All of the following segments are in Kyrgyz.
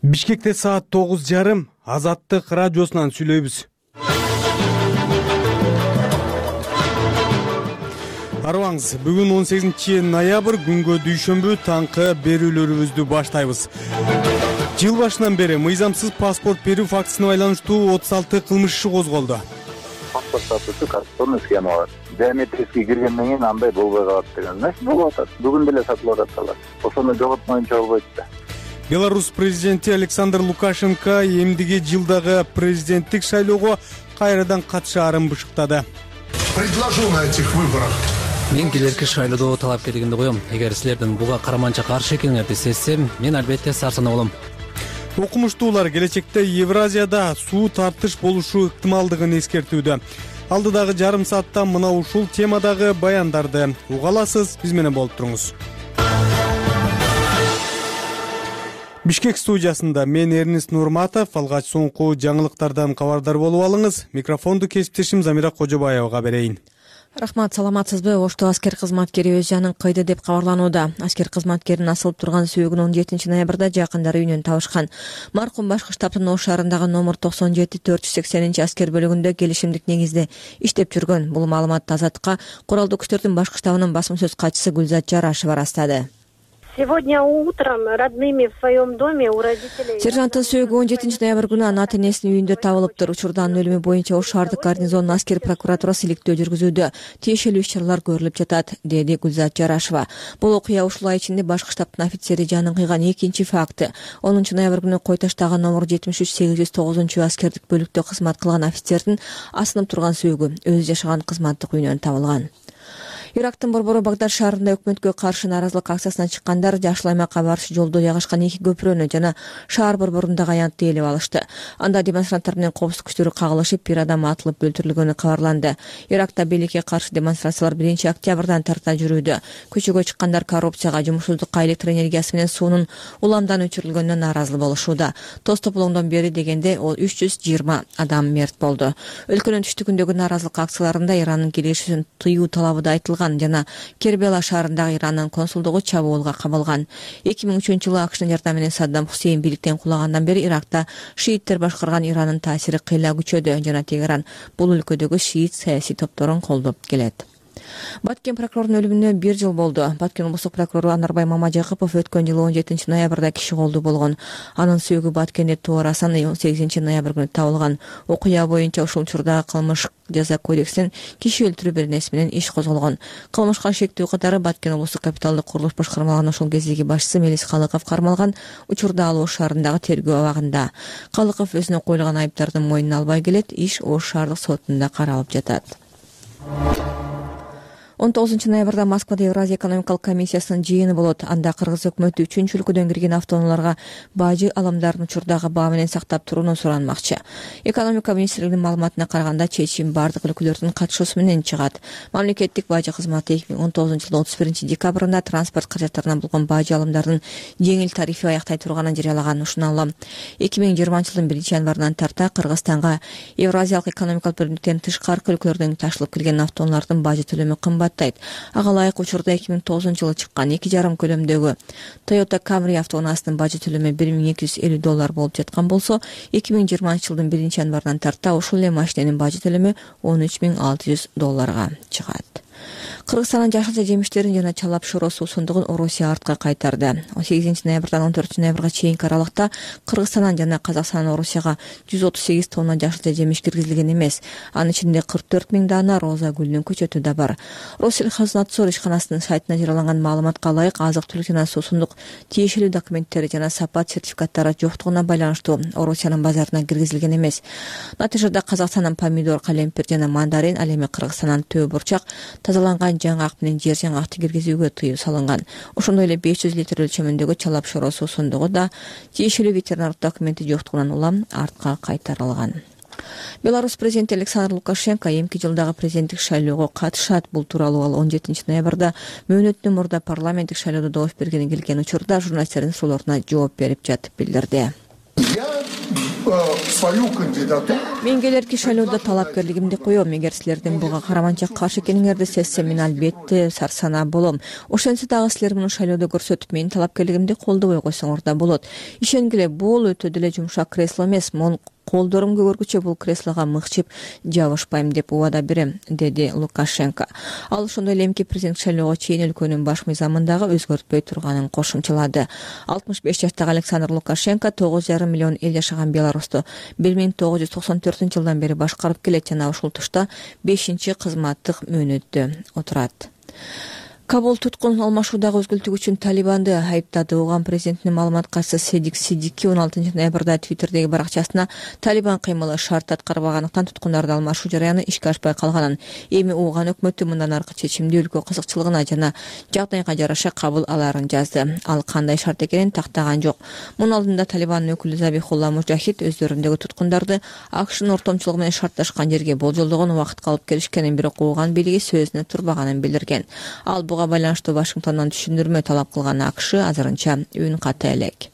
Бишкекте саат 9:30 Азаттык радиосунан сүйлөйбүз. Арыбаңыз, бүгүн 18-ноябрь күнгө дүйшөмбү таңкы берүүлөрүбүздү баштайбыз. Жыл башынан бери мыйзамсыз паспорт берүү фактысына байланыштуу 36 кылмыш иши козголду. Паспорт сатуучу коррупционный схема бар. Биометрический киргенден кийин андай болбой калат деген эмес болуп атат. Бүгүн деле сатылып атат. Ошону жоготмоюнча болбойт да. Беларусь президенти Александр Лукашенко эмдиги жылдагы президенттик шайлоого кайрадан катышаарын бышыктады. Предложу на этих выборах. Мен келерки шайлоодо талапкерлигимди коем. Эгер силердин буга караманча каршы экениңерди сезсем, мен албетте сарсанаа болом. Окумуштуулар келечекте Евразияда суу тартыш болушу ыктымалдыгын эскертүүдө. Алдыдагы жарым саатта мына ушул темадагы баяндарды уга аласыз, биз менен болуп туруңуз. Бишкек студиясында мен Эрнис Нурматов, алгач соңку жаңылыктардан кабардар болуп алыңыз. Микрофонду кесиптешим Замира Кожобаевага берейин. Рахмат, саламатсызбы? Ошто аскер кызматкери өз жанын кыйды деп кабарланууда. Аскер кызматкеринин асылып турган сөөгүн 17-ноябрда жакындары үйүнөн табышкан. Маркум башкы штабтын Ош шаарындагы номер 97-480 аскер бөлүгүндө келишимдик негизде иштеп жүргөн. Бул маалыматты Азаттыкка куралдуу күчтөрдүн башкы штабынын басма сөз катчысы Гүлзат Жарашева ырастады. Сегодня утром родными в своем доме у родителей. Сержанттын сөөгү 17-ноябрь күнү анын ата-энесинин үйүндө табылыптыр. Учурдун өлүмү боюнча Ош шаардык гарнизонунун аскер прокуратурасы иликтөө жүргүзүүдө. Тиешелүү иш-чаралар көрүлүп жатат, деди Гүлзат Жарашева. Бул окуя ушул ай ичинде башкы штабтын офицери жанын кыйган экинчи факты. 10-ноябрь күнү Кой Таштагы номер 73-809 аскердик бөлүктө кызмат кылган офицердин асынып турган сөөгү өзү жашаган кызматтык үйүнөн табылган. Ирактын борбору Багдад шаарында өкмөткө каршы нааразылык акциясына чыккандар Жашыл аймакка барыш жолдо жайгашкан эки көпүрөнү жана шаар борборундагы аянтты ээлеп алышты. Анда демонстранттар менен коопсуздук күчтөрү кагылышып, бир адам атылып өлтүрүлгөнү кабарланды. Иракта бийликке каршы демонстрациялар 1-октябрдан тарта жүрүүдө. Көчөгө чыккандар коррупцияга, жумушсуздукка, электр энергиясы менен суунун уламдан өчүрүлгөнүнө нааразы болушууда. Тоз тополоңдон бери дегенде 320 адам мерт болду. Өлкөнүн түштүкүндөгү нааразылык акцияларында Ирандын келишүүсүн тыюу талабы да айтылган жана Кербела шаарындагы Ирандын консулдугу чабуулга кабылган. 2003-жылы АКШнын жардамы менен Саддам Хусейн бийликтен кулагандан бери Иракта шииттер башкарган Ирандын таасири кыйла күчөдө жана Тегеран бул өлкөдөгү шиит саясий топторун колдоп келет. Баткен прокурорунун өлүмүнө 1 жыл болду. Баткен облустук прокурору Анарбай Мамажакупов өткөн жылы 17-ноябрда киши колдуу болгон. Анын сөөгү Баткенде туурасан 18-ноябрь күнү табылган. Окуя боюнча ушул учурда кылмыш жаза кодексинин киши өлтүрүү беренеси менен иш козголгон. Кылмышка шектүү катары Баткен облустук капиталдык курулуш башкармалыгынын ошол кездеги башчысы Мелис Калыков кармалган. Учурда ал Ош шаарындагы тергөө абагында. Калыков өзүнө коюлган айыптардын мойнуна албай келет. Иш Ош шаардык сотунда каралып жатат. 19-ноябрда Москвада Евразия экономикалык комиссиясынын жыйыны болот. Анда кыргыз өкмөтү 3 өлкөдөн кирген автоунааларга бажы аламдарын учурдагы баа менен сактап турууну суранмакчы. Экономика министрлигинин маалыматына караганда чечим бардык өлкөлөрдүн катышуусу менен чыгат. Мамлекеттик бажы кызматы 2019-жылдын 31-декабрында транспорт каражаттарынан болгон бажы алымдардын жеңил тарифи аяктай турганын жарыялаган. Ушуна улам 2020-жылдын 1-январынан тарта Кыргызстанга Евразиялык экономикалык бөлүнүктөн тышкаркы өлкөлөрдөн ташылып келген автоунаалардын бажы төлөмү кымбат. Ага ылайык учурда 2009-жылы чыккан 2,5 көлөмдөгү Toyota Camry автоунаасынын бажы төлөмү $1250 болуп жаткан болсо, 2020-жылдын 1-январынан тарта ушул эле машиненин бажы төлөмү $13,600 чыгат. Кыргызстандын жашылча жемиштерин жана чалап шоро суусундугун Орусия артка кайтарды. 18-ноябрдан 14-ноябрга чейинки аралыкта Кыргызстандан жана Казакстандан Орусияга 138 тонна жашылча жемиш киргизилген эмес. Анын ичинде 44 000 дана роза гүлүнүн көчөтү да бар. Россельхознадзор ишканасынын сайтына жарыяланган маалыматка ылайык азык-түлүк жана суусундук тиешелүү документтери жана сапат сертификаттары жоктугуна байланыштуу Орусиянын базарына киргизилген эмес. Натыйжада Казакстандан помидор, калемпир жана мандарин, ал эми Кыргызстандан төө бурчак, тазаланган жаңгак менен жер жаңгакты киргизүүгө тыюу салынган. Ошондой эле 500 литр өлчөмүндөгү чалап шоро суусундугу да тиешелүү ветеринардык документи жоктугунан улам артка кайтарылган. Беларусь президенти Александр Лукашенко эмки жылдагы президенттик шайлоого катышат. Бул тууралуу ал 17-ноябрда мөөнөттөн мурда парламенттик шайлоодо добуш бергени келген учурда журналисттердин суроолоруна жооп берип жатып билдирди. Я свою кандидатуру Мен келерки шайлоодо талапкерлигимди коем. Эгер силердин буга караманча каршы экениңерди сезсем, мен албетте сарсанаа болом. Ошентсе дагы силер муну шайлоодо көрсөтүп, менин талапкерлигимди колдобой койсоңор да болот. Ишенгиле, бул өтө деле жумшак кресло эмес. Мен колдорум көгөргүчө бул креслого мыкчып жабышпайм деп убада берем, деди Лукашенко. Ал ошондой эле эмки президент шайлоого чейин өлкөнүн баш мыйзамындагы өзгөртпөй турганын кошумчалады. 65 жаштагы Александр Лукашенко 9,5 миллион эл жашаган Беларусьту 1994-жылдан бери башкарып келет жана ушул тушта 5-чи кызматтык мөөнөттө отурат. Кабул туткун алмашуудагы өзгөлтүк үчүн Талибанды айыптады. Оған президентинин маалымат катчысы Седик Сиддики 16 ноябрда Твиттердеги баракчасына Талибан кыймылы шарт аткарбагандыктан туткундарды алмашуу жараяны ишке ашпай калганын, эми Оған өкмөтү мындан аркы чечимди өлкө кызыкчылыгына жана жагдайга жараша кабыл аларын жазды. Ал кандай шарт экенин тактаган жок. Мунун алдында Талибандын өкүлү Забихулла Мужахид өздөрүндөгү туткундарды АКШнын ортомчулугу менен шартташкан жерге болжолдогон убакытка алып келишкенин, бирок Оған бийлиги сөзүнө турбаганын билдирген. Ал буга байланыштуу Вашингтондон түшүндүрмө талап кылган АКШ азырынча үн ката элек.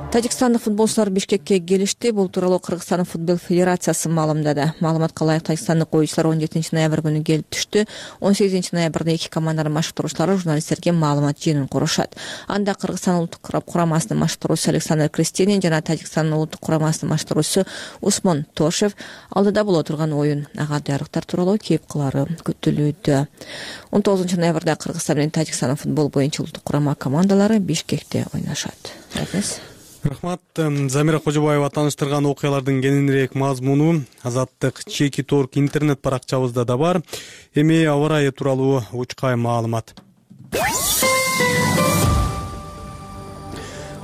Тажикстандык футболчулар Бишкекке келишти. Бул тууралуу Кыргызстан футбол федерациясы маалымдады. Маалыматка ылайык Тажикстандык оюучулар 17 ноябрь күнү келип түштү. 18 ноябрда эки команданын машыктыруучулары журналисттерге маалымат жыйынын курушат. Анда Кыргызстан улуттук курамасынын машыктыруучусу Александр Крестенин жана Тажикстандын улуттук курамасынын машыктыруучусу Усмон Тошев алдыда боло турган оюн ага даярдыктар тууралуу кеп кылары күтүлүүдө. 19 ноябрда Кыргызстан менен Тажикстандын футбол боюнча улуттук курама командалары Бишкекте ойношот. Рахмат. Замира Кожобаева тааныштырган окуялардын кененирээк мазмуну Азаттык Чеки Торг интернет баракчабызда да бар. Эми аба ырайы тууралуу учкай маалымат.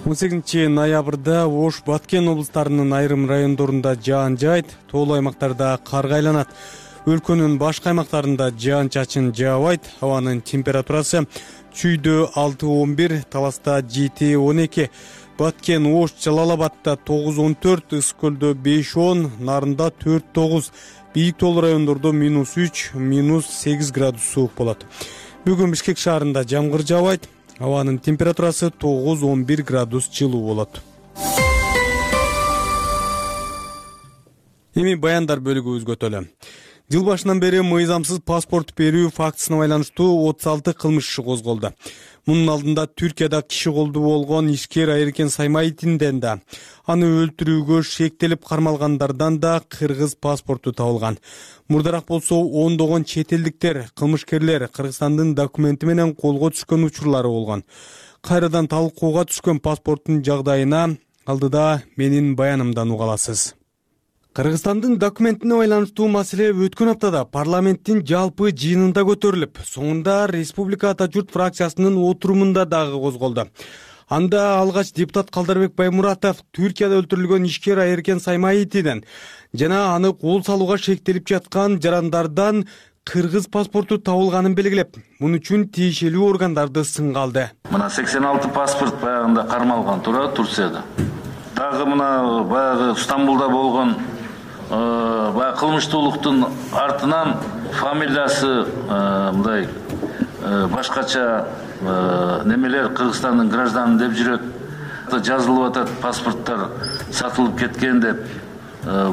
18 ноябрда Ош, Баткен облустарынын айрым райондорунда жаан жаайт, тоолуу аймактарда карга айланат. Өлкөнүн башка аймактарында жаан-чачын жаабайт. Абанын температурасы Чүйдө 6-11, Таласта 7-12, Баткен, Ош, Жалал-Абадта 9-14, Ысык-Көлдө 5-10, Нарында 4-9, бийик тоолуу райондордо -3, -8 градус суук болот. Бүгүн Бишкек шаарында жамгыр жаабайт. Абанын температурасы 9-11 градус жылуу болот. Эми баяндар бөлүгүбүзгө өтөлү. Жыл башынан бери мыйзамсыз паспорт берүү фактысына байланыштуу 36 кылмыш иши козголду. Мунун алдында Түркияда киши колдуу болгон ишкер Айыркен Саймаитинден да, аны өлтүрүүгө шектелип кармалгандардан да кыргыз паспорту табылган. Мурдараак болсо ондогон чет элдиктер, кылмышкерлер Кыргызстандын документи менен колго түшкөн учурлары болгон. Кайрадан талкууга түшкөн паспорттун жагдайына алдыда менин баянымдан уга аласыз. Кыргызстандын документине байланыштуу маселе өткөн аптада парламенттин жалпы жыйынында көтөрүлүп, соңунда Республика Ата журт фракциясынын отурумунда дагы козголду. Анда алгач депутат Калдарбек Баймуратов Түркияда өлтүрүлгөн ишкер Айыркен Саймаитиден жана аны кол салууга шектелип жаткан жарандардан кыргыз паспорту табылганын белгилеп, мун үчүн тиешелүү органдарды сынга алды. Мына 86 паспорт баягында кармалган Турцияда. Дагы мына баягы Стамбулда болгон кылмыштуулуктун артынан фамилиясы мындай башкача немелер Кыргызстандын гражданы деп жүрөт, жазылып атат, паспорттор сатылып кеткен деп.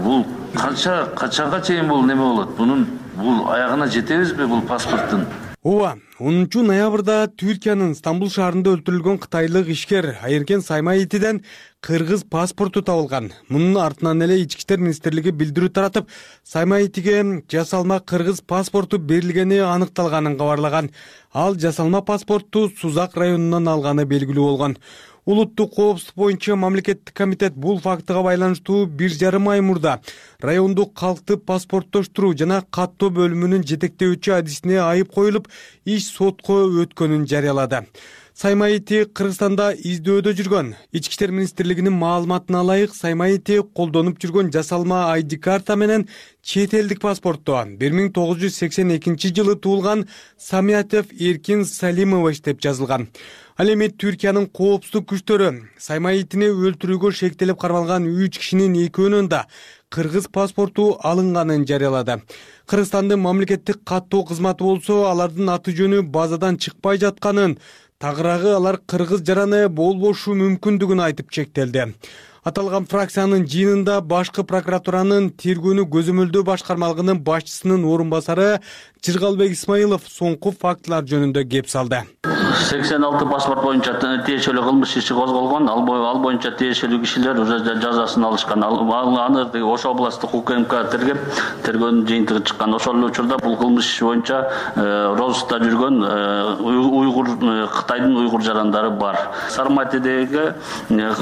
Бул качанга чейин бул неме болот? Бул аягына жетебизби бул паспорттун? Ооба, 10 ноябрда Түркиянын Стамбул шаарында өлтүрүлгөн кытайлык ишкер Айыркен Саймаитиден кыргыз паспорту табылган. Мунун артынан эле Ички иштер министрлиги билдирүү таратып, Саймаитиге жасалма кыргыз паспорту берилгени аныкталганын кабарлаган. Ал жасалма паспорту Сузак районунан алганы белгилүү болгон. Улуттук коопсуздук боюнча мамлекеттик комитет бул фактыга байланыштуу 1,5 ай мурда райондук калкты паспорттоштуруу жана каттоо бөлүмүнүн жетектөөчү адисине айып коюлуп, иш сотко өткөнүн жарыялады. Саймаити Кыргызстанда издөөдө жүргөн. Ички иштер министрлигинин маалыматына ылайык, Саймаити колдонуп жүргөн жасалма ID карта менен чет элдик паспортто 1982 жылы туулган Самиятов Эркин Салимович деп жазылган. Ал эми Түркиянын коопсуздук күчтөрү Саймаитини өлтүрүүгө шектелип кармалган 3 кишинин экөөнүн да кыргыз паспорту алынганын жарыялады. Кыргызстандын мамлекеттик каттоо кызматы болсо алардын аты жөнү базадан чыкпай жатканын, тагыраагы алар кыргыз жараны болбошу мүмкүндүгүн айтып чектелди. Аталган фракциянын жыйынында башкы прокуратуранын тергөөнү көзөмөлдөө башкармалыгынын башчысынын орун басары Жыргалбек Исмаилов соңку фактылар жөнүндө кеп салды. 86 паспорт боюнча тиешелүү кылмыш иши козголгон. Ал боюнча тиешелүү кишилер уже жазасын алышкан. Аны Ош областтык УКМК тергөөнүн жыйынтыгы чыккан. Ошол учурда бул кылмыш иши боюнча розыскта жүргөн Кытайдын уйгур жарандары бар. Сарматидеги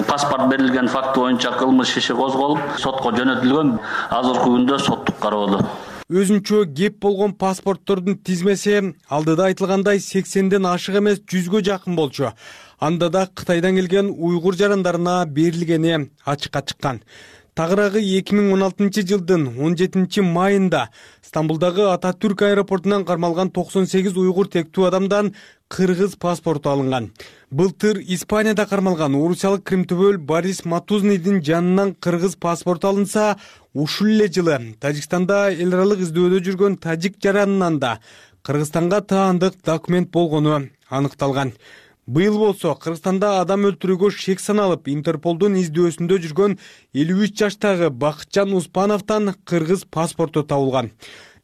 паспорт берилген факты боюнча кылмыш иши козголуп, сотко жөнөтүлгөн. Азыркы күндө соттук кароодо. Өзүнчө кеп болгон паспорттордун тизмеси алдыда айтылгандай 80ден ашык эмес 100гө жакын болчу. Анда да Кытайдан келген уйгур жарандарына берилгени ачыкка чыккан. Тагыраагы 2016 жылдын 17 майында Стамбулдагы Ататүрк аэропортунан кармалган 98 уйгур тектүү адамдан кыргыз паспорту алынган. Былтыр Испанияда кармалган орусиялык кримтөбөл Борис Матузныйдын жанынан кыргыз паспорту алынса, ушул эле жылы Тажикстанда эл аралык издөөдө жүргөн тажик жаранынан да Кыргызстанга таандык документ болгону аныкталган. Быйыл болсо Кыргызстанда адам өлтүрүүгө шек саналып Интерполдун издөөсүндө жүргөн 53 жаштагы Бакытжан Успановдон кыргыз паспорту табылган.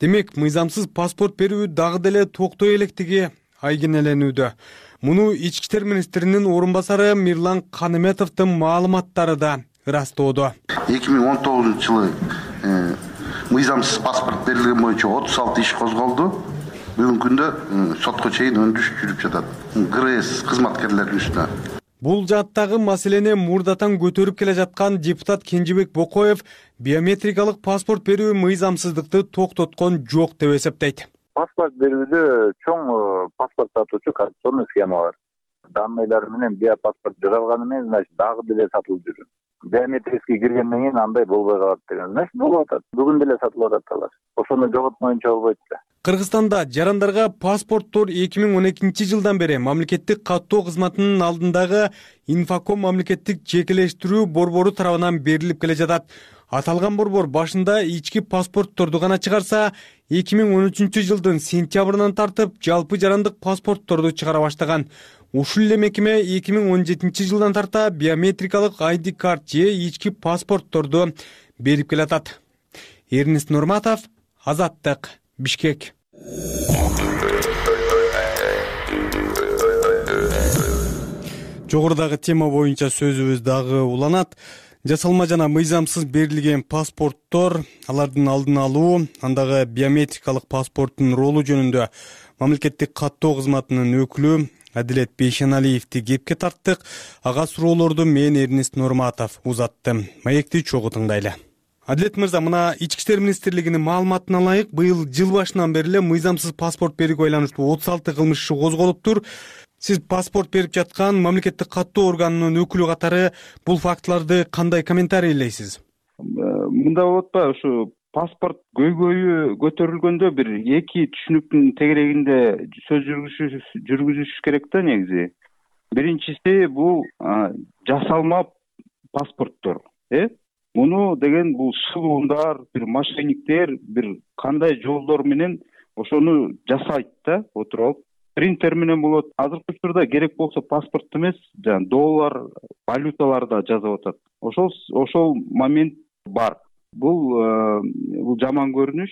Демек, мыйзамсыз паспорт берүү дагы деле токтой электиги айгинеленүүдө. Муну ички иштер министринин орун басары Мирлан Каныметовдун маалыматтары да ырастоодо. 2019 жылы мыйзамсыз паспорт берилген боюнча 36 иш козголду. Бүгүнкү күндө сотко чейин өндүрүш жүрүп жатат. ГРС кызматкерлеринин үстүнө. Бул жааттагы маселени мурдатан көтөрүп келе жаткан депутат Кенжебек Бокоев биометрикалык паспорт берүү мыйзамсыздыкты токтоткон жок деп эсептейт. Паспорт берүүдө чоң паспорт сатуучу коррупционный схема бар. Данныйлар менен биопаспорт жасалганы менен, значит, дагы деле сатылып жүрүп. Биометрический киргенден кийин андай болбой калат деген. Значит, болуп атат. Бүгүн деле сатылып атат алар. Ошону жоготмоюнча болбойт да. Кыргызстанда жарандарга паспорттор 2012 жылдан бери мамлекеттик каттоо кызматынын алдындагы Инфоком мамлекеттик жекелештирүү борбору тарабынан берилип келе жатат. Аталган борбор башында ички паспортторду гана чыгарса, 2013 жылдын сентябрынан тартып жалпы жарандык паспортторду чыгара баштаган. Ушул эле мекеме 2017 жылдан тарта биометрикалык ID карт же ички паспортторду берип келатат. Эрнест Нурматов, Азаттык, Бишкек. Жогорудагы тема боюнча сөзүбүз дагы уланат. Жасалма жана мыйзамсыз берилген паспорттор, алардын алдын алуу, андагы биометрикалык паспорттун ролу жөнүндө мамлекеттик каттоо кызматынын өкүлү Адилет Бейшеналиевди кепке тарттык. Ага суроолорду мен Эрнест Нурматов узаттым. Маекти чогуу тыңдайлы. Адилет мырза, мына ички иштер министрлигинин маалыматына ылайык, быйыл жыл башынан бери эле мыйзамсыз паспорт берүүгө байланыштуу 36 кылмыш иши козголуптур. Сиз паспорт берип жаткан мамлекеттик каттоо органынын өкүлү катары бул фактыларды кандай комментарийлейсиз? Мында болот да, ушу паспорт көйгөйү көтөрүлгөндө бир эки түшүнүктүн тегерегинде сөз жүргүзүш керек да негизи. Биринчиси бул жасалма паспорттор. Муну деген бул шылуундар, бир мошенниктер бир кандай жолдор менен ошону жасайт да, отуруп. Принтер менен болот. Азыркы учурда керек болсо паспорт эмес, доллар, валюталарда жазып атат. Ошол момент бар. Бул жаман көрүнүш.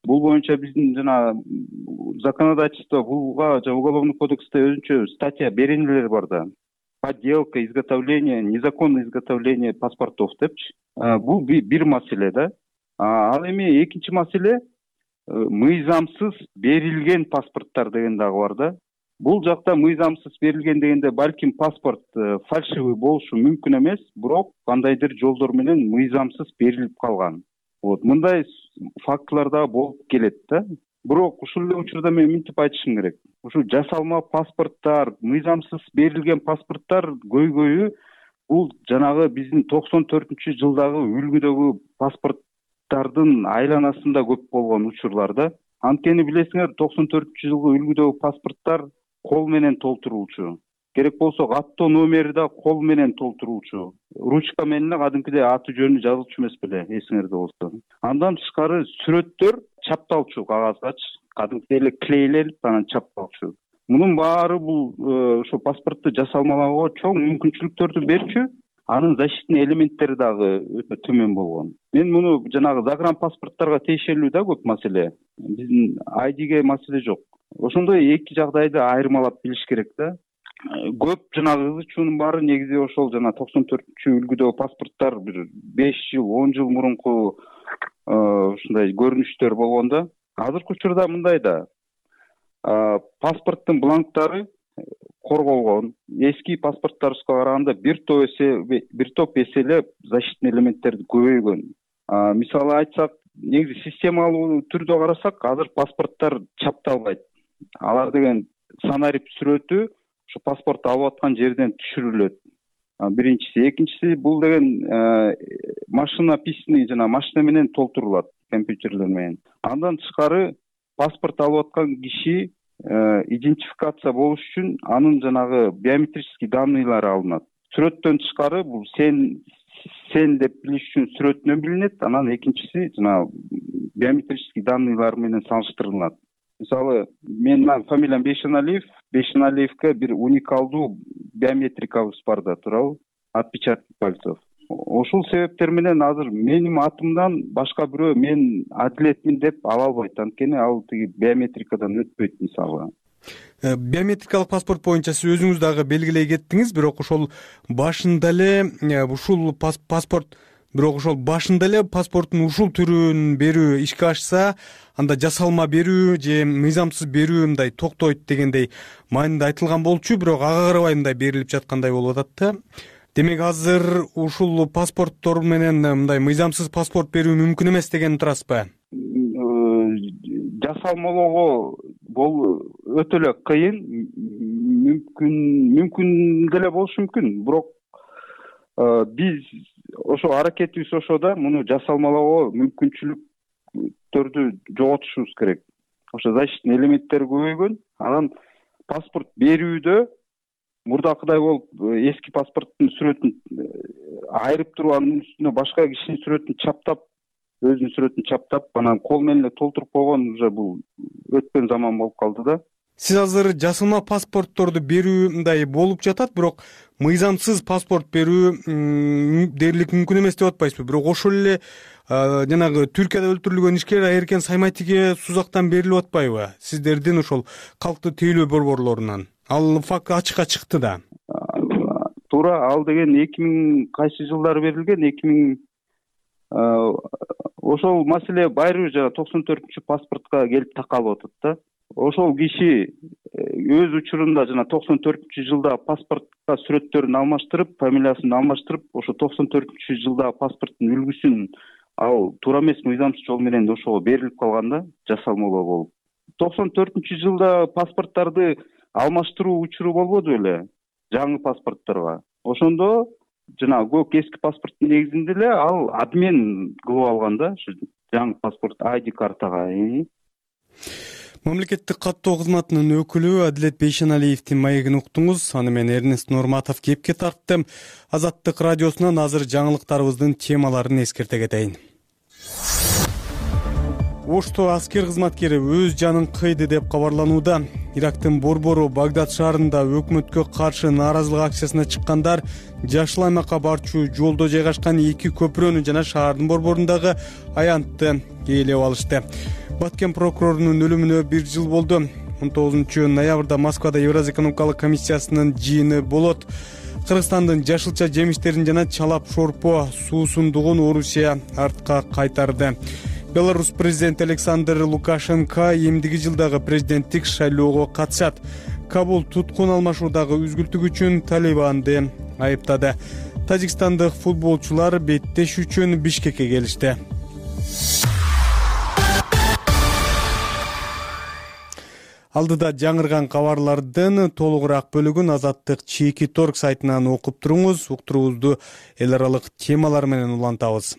Бул боюнча биздин жана законодательство, буга уголовный кодексте өзүнчө статья беренелер бар да. Подделка, изготовление, незаконное изготовление паспортов депчи. Бул бир маселе да. Ал эми экинчи маселе мыйзамсыз берилген паспорттор деген дагы бар да. Бул жакта мыйзамсыз берилген дегенде балким паспорт фальшивый болушу мүмкүн эмес, бирок кандайдыр жолдор менен мыйзамсыз берилип калган. Мындай фактылар да болуп келет да. Бирок ушул эле учурда мен мынтип айтышым керек. Ушу жасалма паспорттор, мыйзамсыз берилген паспорттор көйгөйү бул жанагы биздин 94-жылдагы үлгүдөгү паспорттардын айланасында көп болгон учурлар да. Анткени билесиңер, 94-жылгы үлгүдөгү паспорттор кол менен толтурулчу. Керек болсо каттоо номери да кол менен толтурулчу. Ручка менен кадимкидей аты жөнү жазылчу эмес беле, эсиңерде болсо. Андан тышкары сүрөттөр чапталчу кагазгачы, кадимкидей эле клейлелип анан чапталчу. Мунун баары бул ошо паспортду жасалмалаганга чоң мүмкүнчүлүктөрдү берчү. Анын защитный элементтери дагы өтө төмөн болгон. Мен муну жанагы загранпаспортторго тиешелүү да көп маселе. Биздин айдиге маселе жок. Ошондой эки жагдайды айырмалап билиш керек да. Көп жанагы ызычуунун баары негизи ошол жана 94-үлгүдөгү паспорттор бир 5 жыл, 10 жыл мурунку ушундай көрүнүштөр болгондо. Азыркы учурда мындай да. Паспорттун бланктары корголгон. Эски паспорттарыбызга караганда бир топ эсе эле защитный элементтерди көбөйгөн. Мисалы айтсак, негизи системалуу түрдө карасак, азыр паспорттор чапталбайт. Алар деген санарип сүрөтү ошо паспорт алып аткан жерден түшүрүлөт. Биринчиси, экинчиси бул деген машина письми жана машина менен толтурулат, компьютерлер менен. Андан тышкары паспорт алып аткан киши идентификация болуш үчүн анын жанагы биометрический данныйлары алынат. Сүрөттөн тышкары бул сен деп билиш үчүн сүрөтүнөн билинет, анан экинчиси жана биометрический данныйлар менен салыштырылат. Мисалы, менин фамилиям Бейшеналиев, Бейшеналиевке бир уникалдуу биометрикабыз бар да, туурабы? Отпечаток пальцев. Ошол себептер менен азыр менин атымдан башка бирөө мен Адилетмин деп ала албайт, анткени ал тиги биометрикадан өтпөйт мисалы. Биометрикалык паспорт боюнча сиз өзүңүз дагы белгилей кеттиңиз, бирок ошол башында эле паспорттун ушул түрүн берүү ишке ашса, анда жасалма берүү же мыйзамсыз берүү мындай токтойт дегендей маанинде айтылган болчу, бирок ага карабай мындай берилип жаткандай болуп атат да. Демек азыр ушул паспорттор менен мындай мыйзамсыз паспорт берүү мүмкүн эмес деген турасызбы? Жасалмалоого өтө эле кыйын, мүмкүн деле болушу мүмкүн, бирок биз ошо аракетибиз ошо да, муну жасалмалоого мүмкүнчүлүктөрдү жоготушубуз керек. Ошо защитный элементтери көбөйгөн, анан паспорт берүүдө мурдакыдай болуп эски паспорттун сүрөтүн айырып туруп анын үстүнө башка кишинин сүрөтүн чаптап, өзүнүн сүрөтүн чаптап, анан кол менен эле толтуруп койгон уже бул өткөн заман болуп калды да. Сиз азыр жасалма паспортторду берүү мындай болуп жатат, бирок мыйзамсыз паспорт берүү дээрлик мүмкүн эмес деп атпайсызбы? Бирок ошол эле жанагы Түркияда өлтүрүлгөн ишкер Айеркен Сайматиге Сузактан берилип атпайбы? Сиздердин ошол калктуу тейлөө борборлорунан. Ал факт ачыкка чыкты да. Туура, ал деген 2000 кайсы жылдары берилген, ошол маселе байырбы жана 94-чү паспортко келип такалып атат да. Ошол киши өз учурунда жана 94-чү жылда паспортко сүрөттөрүн алмаштырып, фамилиясын алмаштырып, ошо 94-чү жылда паспорттун үлгүсүн ал туура эмес мыйзамсыз жол менен ошого берилип калган да, жасалмалоо болуп. 94-чү жылда паспорттарды алмаштыруу учуру болбоду беле жаңы паспортторго. Ошондо жана көк эски паспорттун негизинде эле ал обмен кылып алган да, ушу жаңы паспорт ID картага. Мамлекеттик каттоо кызматынын өкүлү Адилет Бейшеналиевдин маегин уктуңуз. Аны мен Эрнест Нурматов кепке тарттым. Азаттык радиосунан азыр жаңылыктарыбыздын темаларын эскерте кетейин. Ошто аскер кызматкери өз жанын кыйды деп кабарланууда. Ирактын борбору Багдад шаарында өкмөткө каршы нааразылык акциясына чыккандар Жашыл аймакка барчу жолдо жайгашкан 2 көпүрөнү жана шаардын борборундагы аянтты ээлеп алышты. Баткен прокурорунун өлүмүнө 1 жыл болду. 19-ноябрда Москвада Евразия экономикалык комиссиясынын жыйыны болот. Кыргызстандын жашылча жемиштерин жана чалап шорпо суусундугун Орусия артка кайтарды. Беларусь президенти Александр Лукашенко эмдиги жылдагы президенттик шайлоого катышат. Кабул туткун алмашуудагы үзгүлтүк үчүн Талибанды айыптады. Тажикстандык футболчулар беттеш үчүн Бишкекке келишти. Алдыда жаңырган кабарлардын толугураак бөлүгүн Азаттык чеки торг сайтынан окуп туруңуз. Уктуруубузду эл аралык темалар менен улантабыз.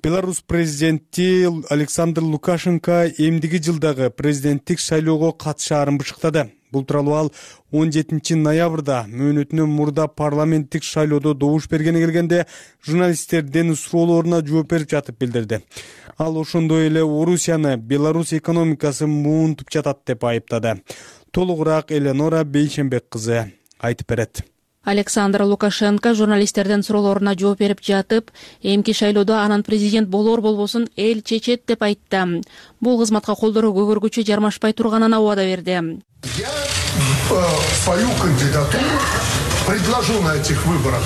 Беларусь президенти Александр Лукашенко эмдиги жылдагы президенттик шайлоого катышаарын бышыктады. Бул тууралуу ал 17-ноябрда мөөнөтүнөн мурда парламенттик шайлоодо добуш бергени келгенде журналисттердин суроолоруна жооп берип жатып билдирди. Ал ошондой эле Орусияны Беларусь экономикасы муунтуп жатат деп айыптады. толугураак Эленора Бейшенбек кызы айтып берет. Александр Лукашенко журналисттердин суроолоруна жооп берип жатып, эмки шайлоодо анан президент болор болбосун эл чечет деп айтты. Бул кызматка колдоруу көгөргүчө жармашпай турганына убада берди. Я свою кандидатуру предложу на этих выборах.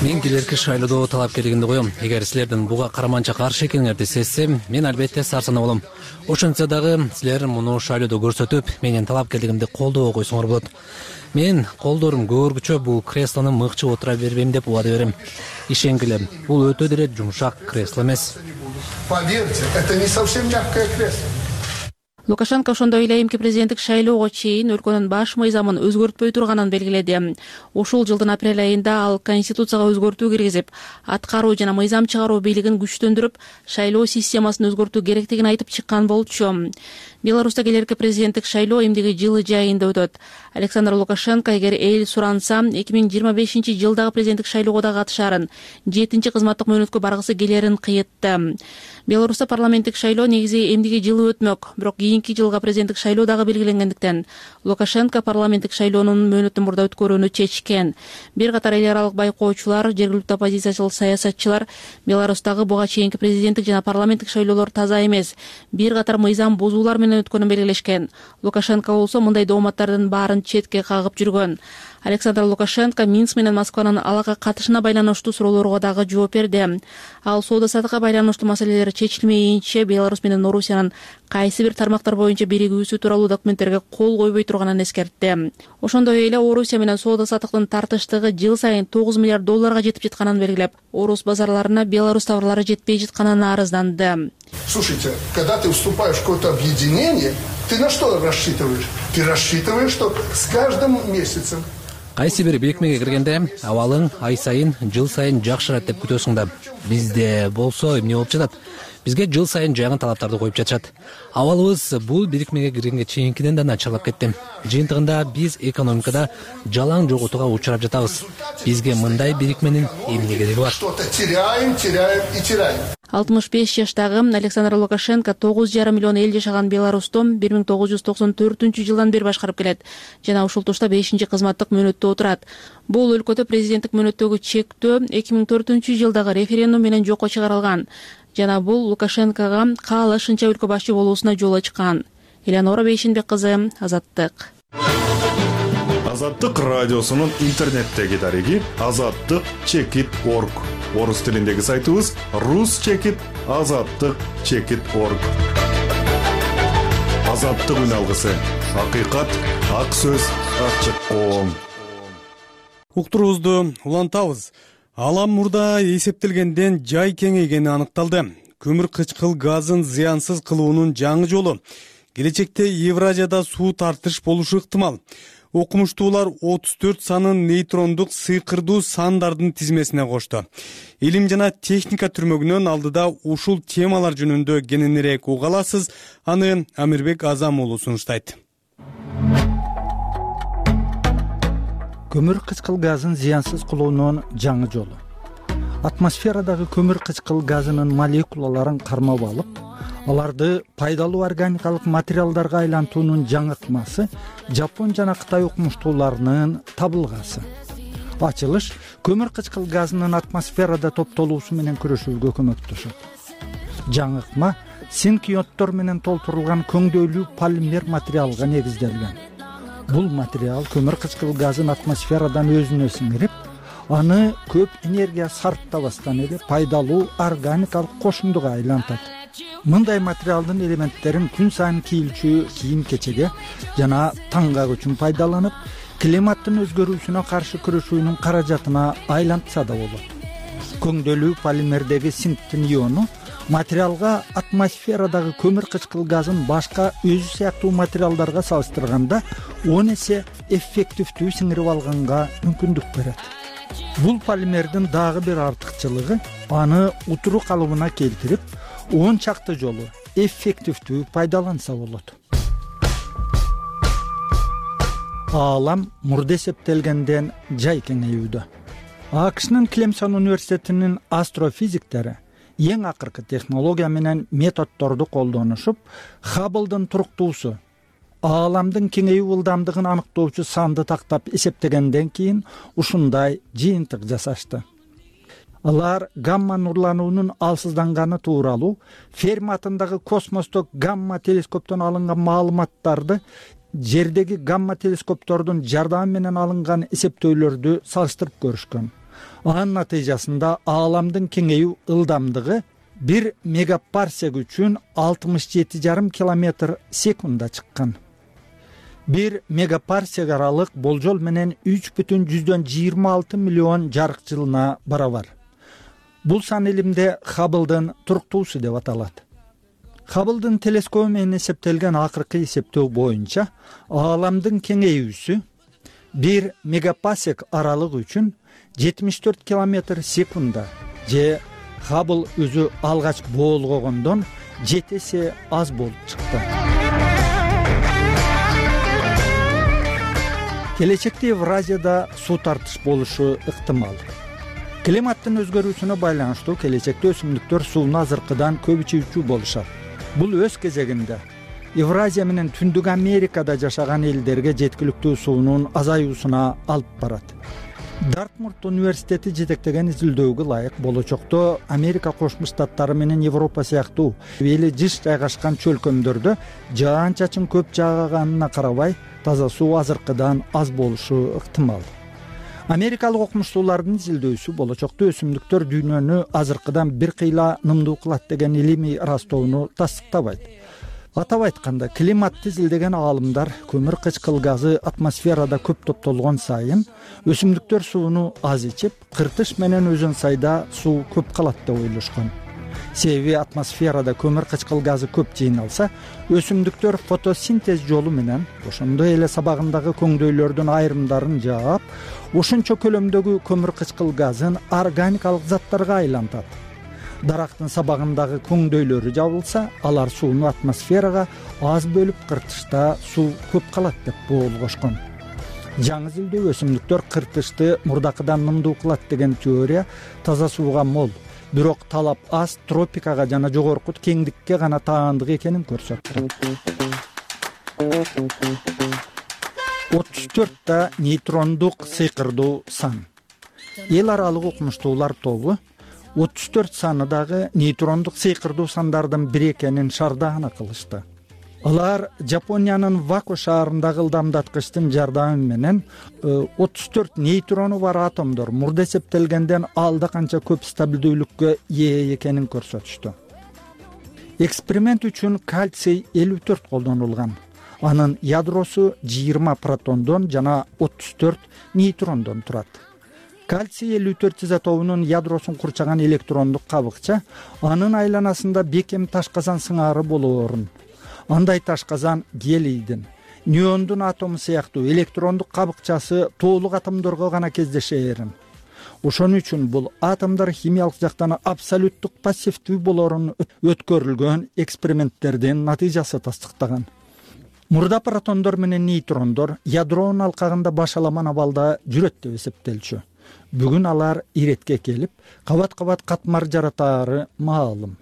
Мен келерки шайлоодо талапкерлигимди коем. Эгер силердин буга караманча каршы экениңерди сезсем, мен албетте сарсанаа болом. Ошентсе дагы силер муну шайлоодо көрсөтүп, менин талапкерлигимди колдоо койсоңор болот. Мен колдорум көгөргүчө бул креслону мыкчып отура бербейм деп убада берем. Ишенгиле, бул өтө деле жумшак кресло эмес. Поверьте, это не совсем мягкое кресло. Лукашенко ошондой эле эмки президенттик шайлоого чейин өлкөнүн баш мыйзамын өзгөртпөй турганын белгиледи. Ушул жылдын апрель айында ал конституцияга өзгөртүү киргизип, аткаруу жана мыйзам чыгаруу бийлигин күчтөндүрүп, шайлоо системасын өзгөртүү керектигин айтып чыккан болчу. Беларуста келерки президенттик шайлоо эмдиги жылы жайында өтөт. Александр Лукашенко эгер эл суранса 2025-жылдагы президенттик шайлоого да катышарын, 7-чи кызматтык мөөнөткө баргысы келерин кыйытты. Беларуста парламенттик шайлоо негизи эмдиги жылы өтмөк, бирок кийинки жылга президенттик шайлоо дагы белгиленгендиктен Лукашенко парламенттик шайлоонун мөөнөтүн мурда өткөрүүнү чечкен. Бир катар эл аралык байкоочулар, жергиликтүү оппозициячыл саясатчылар Беларустагы буга чейинки президенттик жана парламенттик шайлоолор таза эмес, бир катар мыйзам бузуулар менен өткөнүн белгилешкен. Лукашенко болсо мындай дооматтардын баарын четке кагып жүргөн. Александр Лукашенко Минск менен Москванын алага катышына байланыштуу суроолорго дагы жооп берди. Ал соода саттыкка байланыштуу маселелер чечилмейинче Беларусь менен Орусиянын кайсы бир тармактар боюнча биригүүсү тууралуу документтерге кол койбой турганын эскертти. Ошондой эле Орусия менен соода саттыктын тартыштыгы жыл сайын $9 миллиард жетип жатканын белгилеп, Орус базарларына Беларусь товарлары жетпей жатканын арызданды. Слушайте, когда ты вступаешь в какое-то объединение, ты на что рассчитываешь? Ты рассчитываешь, что с каждым месяцем Кайсы бир бирикмеге киргенде абалың ай сайын, жыл сайын жакшырат деп күтөсүң да. Бизде болсо эмне болуп жатат? Бизге жыл сайын жаңы талаптарды коюп жатышат. Абалыбыз бул бирикмеге киргенге чейинкиден да начарлап кетти. Жыйынтыгында биз экономикада жалаң жоготууга учурап жатабыз. Бизге мындай бирикменин эмне кереги бар? что-то теряем и теряем. 65 жаштагы Александр Лукашенко 9,5 миллион эл жашаган Беларусьту 1994-жылдан бери башкарып келет жана ушул тушта 5-чи кызматтык мөөнөттө отурат. Бул өлкөдө президенттик мөөнөттөгү чектөө 2004-жылдагы референдум менен жокко чыгарылган жана бул Лукашенкого каалашынча өлкө башчы болуусуна жол ачкан. Эленора Бейшенбек кызы, Азаттык. Азаттык радиосунун интернеттеги дареги azattyk.org. Орус тилиндеги сайтыбыз rus.azattyk.org. Азаттык үн алгысы. Акыйкат, ак сөз, ачык коом. Уктуруубузду улантабыз. Алам мурда эсептелгенден жай кеңейгени аныкталды. Көмүр кычкыл газын зыянсыз кылуунун жаңы жолу. Келечекте Евразияда суу тартыш болушу ыктымал. Окумуштуулар 34 санын нейтрондук сыйкырдуу сандардын тизмесине кошту. Илим жана техника түрмөгүнөн алдыда ушул темалар жөнүндө кененирээк уга аласыз. Аны Амирбек Азам уулу сунуштайт. Көмүр кычкыл газын зыянсыз кылуунун жаңы жолу. Атмосферадагы көмүр кычкыл газынын молекулаларын кармап алып, аларды пайдалуу органикалык материалдарга айлантуунун жаңыртмасы Жапон жана Кытай окумуштууларынын табылгасы. Ачылыш көмүр кычкыл газынын атмосферада топтолуусу менен күрөшүүгө көмөктөшөт. Жаңыртма синкионттор менен толтурулган көңдөйлүү полимер материалга негизделген. Бул материал көмүр кычкыл газын атмосферадан өзүнө сиңирип, аны көп энергия сарптабастан эле пайдалуу органикалык кошундуга айлантат. Мындай материалдын элементтерин күн сайын кийилчү кийим-кечеге жана таңгак үчүн пайдаланып, климаттын өзгөрүүсүнө каршы күрөшүүнүн каражатына айлантса да болот. Көңдөйлүү полимердеги синктин иону материалга атмосферадагы көмүр кычкыл газын башка өзү сыяктуу материалдарга салыштырганда 10 эсе эффективдүү сиңирип алганга мүмкүндүк берет. Бул полимердин дагы бир артыкчылыгы аны утуру калыбына келтирип, 10 чакты жолу эффективдүү пайдаланса болот. Аалам мурда эсептелгенден жай кеңейүүдө. АКШнын Клемсон университетинин астрофизиктери эң акыркы технология менен методдорду колдонушуп, Хабблдын туруктуусу ааламдын кеңейүү ылдамдыгын аныктоочу санды тактап эсептегенден кийин ушундай жыйынтык жасашты. Алар гамма нурлануунун алсызданганы тууралуу Ферми атындагы космостук гамма телескоптон алынган маалыматтарды жердеги гамма телескоптордун жардамы менен алынган эсептөөлөрдү салыштырып көрүшкөн. Анын натыйжасында ааламдын кеңейүү ылдамдыгы 1 мегапарсек үчүн 67,5 километр секундда чыккан. 1 мегапарсек аралык болжол менен 3,26 миллион жарык жылына барабар. Бул сан илимде Хабблдын туруктуусу деп аталат. Хабблдын телескобу менен эсептелген акыркы эсептөө боюнча ааламдын кеңейүүсү 1 мегапарсек аралыгы үчүн 74 километр секундда же Хаббл өзү алгач боолгогондон 7 эсе аз болуп чыкты. Келечекте Евразияда суу тартыш болушу ыктымал. Климаттын өзгөрүүсүнө байланыштуу келечекте өсүмдүктөр сууну азыркыдан көп ичүүчү болушат. Бул өз кезегинде Евразия менен Түндүк Америкада жашаган элдерге жеткиликтүү суунун азаюусуна алып барат. Дартмурт университети жетектеген изилдөөгө ылайык болочокто Америка Кошмо Штаттары менен Европа сыяктуу эли жыш жайгашкан чөлкөмдөрдө жаан-чачын көп жааганына карабай таза суу азыркыдан аз болушу ыктымал. Америкалык окумуштуулардын изилдөөсү болочокто өсүмдүктөр дүйнөнү азыркыдан бир кыйла нымдуу кылат деген илимий ырастоону тастыктабайт. Атап айтканда, климатты изилдеген аалымдар көмүр кычкыл газы атмосферада көп топтолгон сайын өсүмдүктөр сууну аз ичип, кыртыш менен өзөн сайда суу көп калат деп ойлошкон. Себеби атмосферада көмүр кычкыл газы көп жыйналса, өсүмдүктөр фотосинтез жолу менен ошондой эле сабагындагы көңдөйлөрдүн айрымдарын жаап, ошончо көлөмдөгү көмүр кычкыл газын органикалык заттарга айлантат. Дарактын сабагындагы көңдөйлөрү жабылса, алар сууну атмосферага аз бөлүп, кыртышта суу көп калат деп боолгошкон. Жаңы изилдөө өсүмдүктөр кыртышты мурдакыдан нымдуу кылат деген теория таза сууга мол, бирок талап аз тропикага жана жогорку кеңдикке гана таандык экенин көрсөттү. 34 нейтрондук сыйкырдуу сан. Эл аралык окумуштуулар тобу 34 саны дагы нейтрондук сыйкырдуу сандардын бири экенин шаардагана кылышты. Алар Жапониянын Вако шаарындагы ылдамдаткычтын жардамы менен 34 нейтрону бар атомдор мурда эсептелгенден алда канча көп стабилдүүлүккө ээ экенин көрсөтүштү. Эксперимент үчүн кальций 54 колдонулган. Анын ядросу 20 протондон жана 34 нейтрондон турат. Кальций 54 изотопунун ядросун курчаган электрондук кабыкча анын айланасында бекем ташказан сыңары болоорун. Андай ташказан гелийдин, неондун атому сыяктуу электрондук кабыкчасы толук атомдорго гана кездешээрин. Ошон үчүн бул атомдор химиялык жактан абсолюттук пассивдүү болоорун өткөрүлгөн эксперименттердин натыйжасы тастыктаган. Мурда протондор менен нейтрондор ядронун алкагында башаламан абалда жүрөт деп эсептелчү. Бүгүн алар иретке келип, кабат-кабат катмар жаратаары маалым.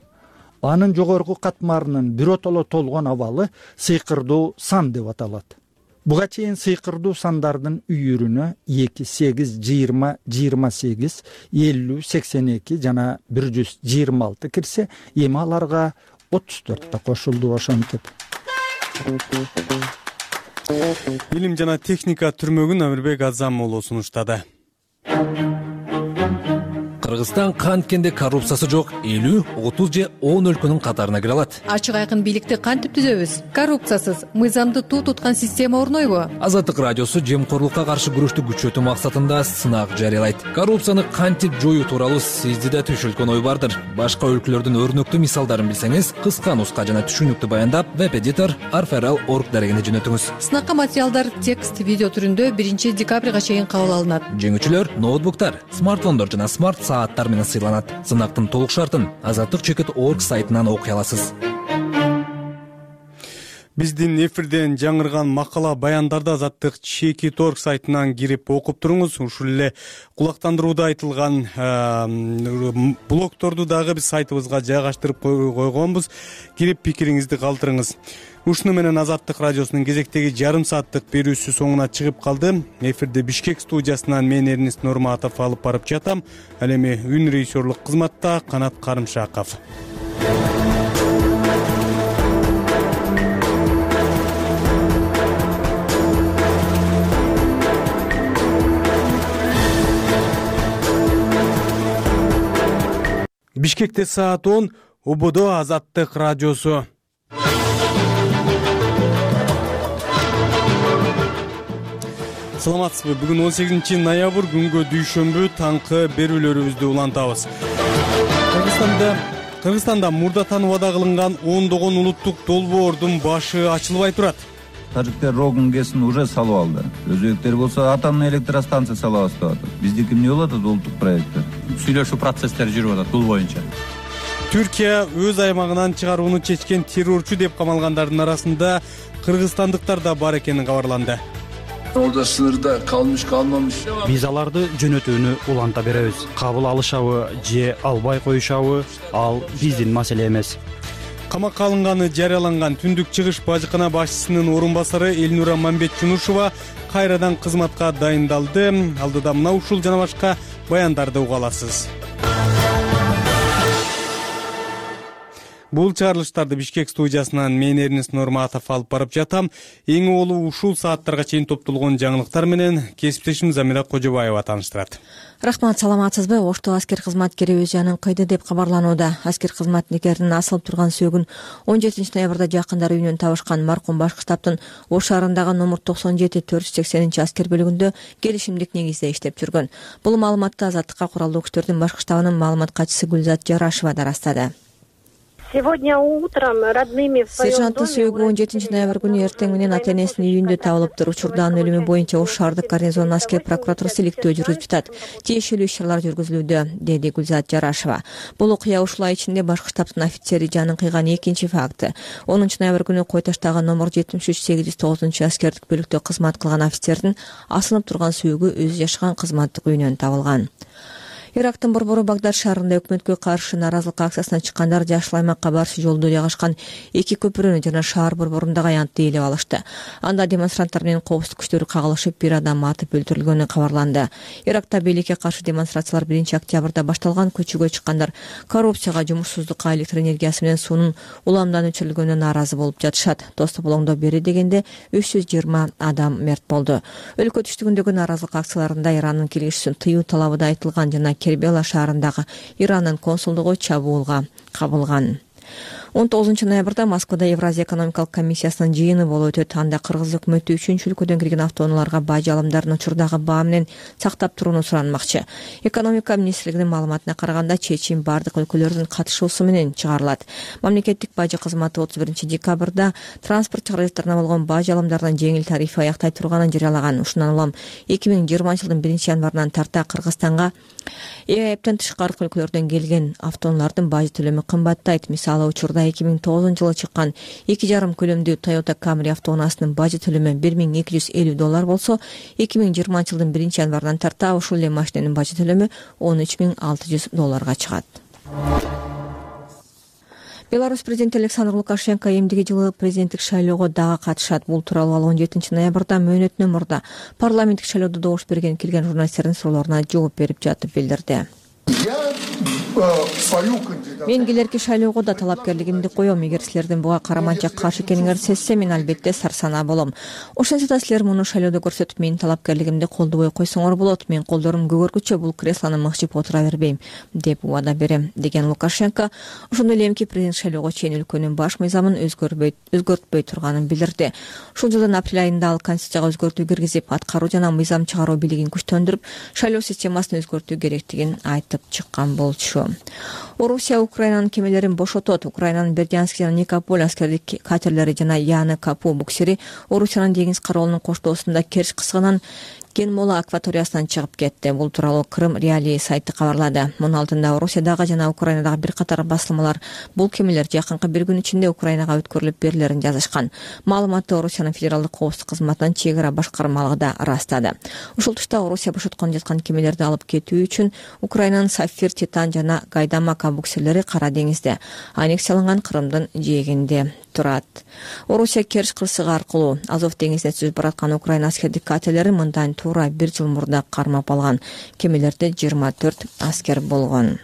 Анын жогорку катмарынын биротоло толгон абалы сыйкырдуу сан деп аталат. Буга чейин сыйкырдуу сандардын үйүрүнө 2, 8, 20, 28, 50, 82 жана 126 кирсе, эми аларга 34 да кошулду ошентип. Билим жана техника түрмөгүн Амирбек Азамуулу сунуштады. Кыргызстан канткенде коррупциясы жок 50, 30 же 10 өлкөнүн катарына кире алат. Ачык айкын бийликти кантип түзөбүз? Коррупциясыз, мыйзамды туу туткан система орнойбу? Азаттык радиосу жемкорлукка каршы күрөштү күчөтүү максатында сынак жарыялайт. Коррупцияны кантип жоюу тууралуу сизде да түшүлгөн ой бардыр. Башка өлкөлөрдүн өрнөктүү мисалдарын билсеңиз, кыска нуска жана түшүнүктүү баяндап, веб-эдитор arferal.org дарегине жөнөтүңүз. Сынакка материалдар текст, видео түрүндө 1 декабрга чейин кабыл алынат. Жеңүүчүлөр ноутбуктар, смартфондор жана смарт сааттар менен сыйланат. Сынактын толук шартын Азаттык.org сайтынан окуй аласыз. Биздин эфирден жаңырган макала баяндарды Азаттык Чеки.org сайтынан кирип окуп туруңуз. Ушул эле кулактандырууда айтылган блогторду дагы биз сайтыбызга жайгаштырып койгонбуз. Кирип пикириңизди калтырыңыз. Ушуну менен Азаттык радиосунун кезектеги жарым сааттык берүүсү соңуна чыгып калды. Эфирде Бишкек студиясынан мен Эрнест Нурматов алып барып жатам. Ал эми үн режиссерлук кызматта Канат Карымшаков. Бишкекте саат 10, Убудо Азаттык радиосу. Саламатсызбы? Бүгүн 18 ноябрь күнгө дүйшөмбү таңкы берүүлөрүбүздү улантабыз. Кыргызстанда мурда таныбада кылынган ондогон улуттук долбоордун башы ачылбай турат. Тажиктер РОГ-ын уже салып алды. Өзбектер болсо атомный электростанция салабыз деп атат. Биздики эмне болот улуттук проекттер? Сүйлөшүү процесстери жүрүп атат бул боюнча. Түркия өз аймагынан чыгарууну чечкен террорчу деп камалгандардын арасында кыргызстандыктар да бар экени кабарланды. Орда сынырда калмыш. Биз аларды жөнөтүүнү уланта беребиз. Кабыл алышабы же албай коюшабы, ал биздин маселе эмес. Камакка алынганы жарыяланган Түндүк Чыгыш бажыкана башчысынын орун басары Элнура Мамбетчунушева кайрадан кызматка дайындалды. Алдыда мына ушул жана башка баяндарды уга аласыз. Бул чыгарылыштарды Бишкек студиясынан мен Эрнест Нурматов алып барып жатам. Эң олу ушул сааттарга чейин топтолгон жаңылыктар менен кесиптешим Замира Кожобаева тааныштырат. Рахмат, саламатсызбы? Ошто аскер кызматкери өз жанын кыйды деп кабарланууда. Аскер кызматкеринин асылып турган сөөгүн 17 ноябрда жакындары үйүнөн табышкан маркум башкы штабтын Ош шаарындагы номер 97-480 аскер бөлүгүндө келишимдик негизде иштеп жүргөн. Бул маалыматты Азаттыкка куралдуу күчтөрдүн башкы штабынын маалымат катчысы Гүлзат Жарашева да ырастады. Сегодня утром родными в своем Сержанттын сөөгү 17 ноябрь күнү эртең менен ата энесинин үйүндө табылыптыр. Учурдагы өлүмү боюнча Ош шаардык гарнизонунун аскер прокуратурасы иликтөө жүргүзүп жатат. Тиешелүү иш-чаралар жүргүзүлүүдө, деди Гүлзат Жарашева. Бул окуя ушул ай ичинде башкы штабтын офицери жанын кыйган экинчи факты. 10 ноябрь күнү Кой Таштагы номер 73-809 аскердик бөлүктө кызмат кылган офицердин асынып турган сөөгү өзү жашаган кызматтык үйүнөн табылган. Ирактын борбору Багдад шаарында өкмөткө каршы нааразылык акциясына чыккандар Жашыл аймакка барчу жолдо жайгашкан эки көпүрөнү жана шаар борборундагы аянтты ээлеп алышты. Анда демонстранттар менен коопсуздук күчтөрү кагылышып, бир адам атып өлтүрүлгөнү кабарланды. Иракта бийликке каршы демонстрациялар 1 октябрда башталган. Көчөгө чыккандар коррупцияга, жумушсуздукка, электр энергиясы менен суунун уламдан өчүрүлгөнүнө нааразы болуп жатышат. Тостополоңдо бери дегенде 320 адам мерт болду. Өлкө түштүгүндөгү нааразылык акцияларында Ирандын киргизүүсүн тыюу талабы да айтылган жана Кербела шаарындагы Ирандын консулдугу чабуулга кабылган. 19 ноябрда Москвада Евразия экономикалык комиссиясынын жыйыны болуп өтөт. Анда кыргыз өкмөтү 3 өлкөдөн кирген автоунааларга бажы алымдарын учурдагы баа менен сактап турууну суранмакчы. Экономика министрлигинин маалыматына караганда чечим бардык өлкөлөрдүн катышуусу менен чыгарылат. Мамлекеттик бажы кызматы 31 декабрда транспорт каражаттарына болгон бажы алымдарынын жеңил тарифи аяктай турганын жарыялаган. Ушундан улам 2020 жылдын 1 январынан тарта Кыргызстанга эптен тышкары өлкөлөрдөн келген автоунаалардын бажы төлөмү кымбаттайт. Мисалы, учурда 2009 жылы чыккан 2,5 көлөмдүү Toyota Camry автоунаасынын бажы төлөмү $1250 болсо, 2020 жылдын 1 январынан тарта ушул эле машинанын бажы төлөмү $13,600 чыгат. Беларусь президенти Александр Лукашенко эмдиги жылы президенттик шайлоого дагы катышат. Бул тууралуу ал 17 ноябрда мөөнөтүнөн мурда парламенттик шайлоодо добуш берген келген журналисттердин суроолоруна жооп берип жатып билдирди. Мен келерки шайлоого да талапкерлигимди коем. Эгер силердин буга караманча каршы экениңерди сезсем, мен албетте сарсанаа болом. Ошентсе да силер муну шайлоодо көрсөтүп, менин талапкерлигимди колдобой койсоңор болот. Мен колдорум көгөргүчө бул креслону мыкчып отура бербейм деп убада берем, деген Лукашенко ошондой эле эмки президент шайлоого чейин өлкөнүн баш мыйзамын өзгөртпөй турганын билдирди. Ушул жылдын апрель айында ал конституцияга өзгөртүү киргизип, аткаруу жана мыйзам чыгаруу бийлигин күчтөндүрүп, шайлоо системасын өзгөртүү керектигин айтып чыккан болчу. Орусия Украинанын кемелерин бошотот. Украинанын Бердянск жана Никополь аскердик катерлери жана Яны Капу буксери Орусиянын деңиз кароолунун коштоосунда керч кысгынан кен моло акваториясынан чыгып кетти. Бул тууралуу Крым Реалии сайты кабарлады. Мунун алдында Орусиядагы жана Украинадагы бир катар басылмалар бул кемелер жакынкы бир күн ичинде Украинага өткөрүлүп берилерин жазышкан. Маалыматты Орусиянын федералдык коопсуздук кызматынын чек ара башкармалыгы да ырастады. Ушул тушта Орусия бошоткон жаткан кемелерди алып кетүү үчүн Украинанын Сафир, Титан жана Гайдамака буксерлери Кара деңизде, аннексияланган Крымдын жээгинде турат. Орусия Керчь кырсыгы аркылуу Азов деңизине сүзүп бараткан Украина аскердик катерлери мындан туура бир жыл мурда кармап алган. Кемелерде 24 аскер болгон.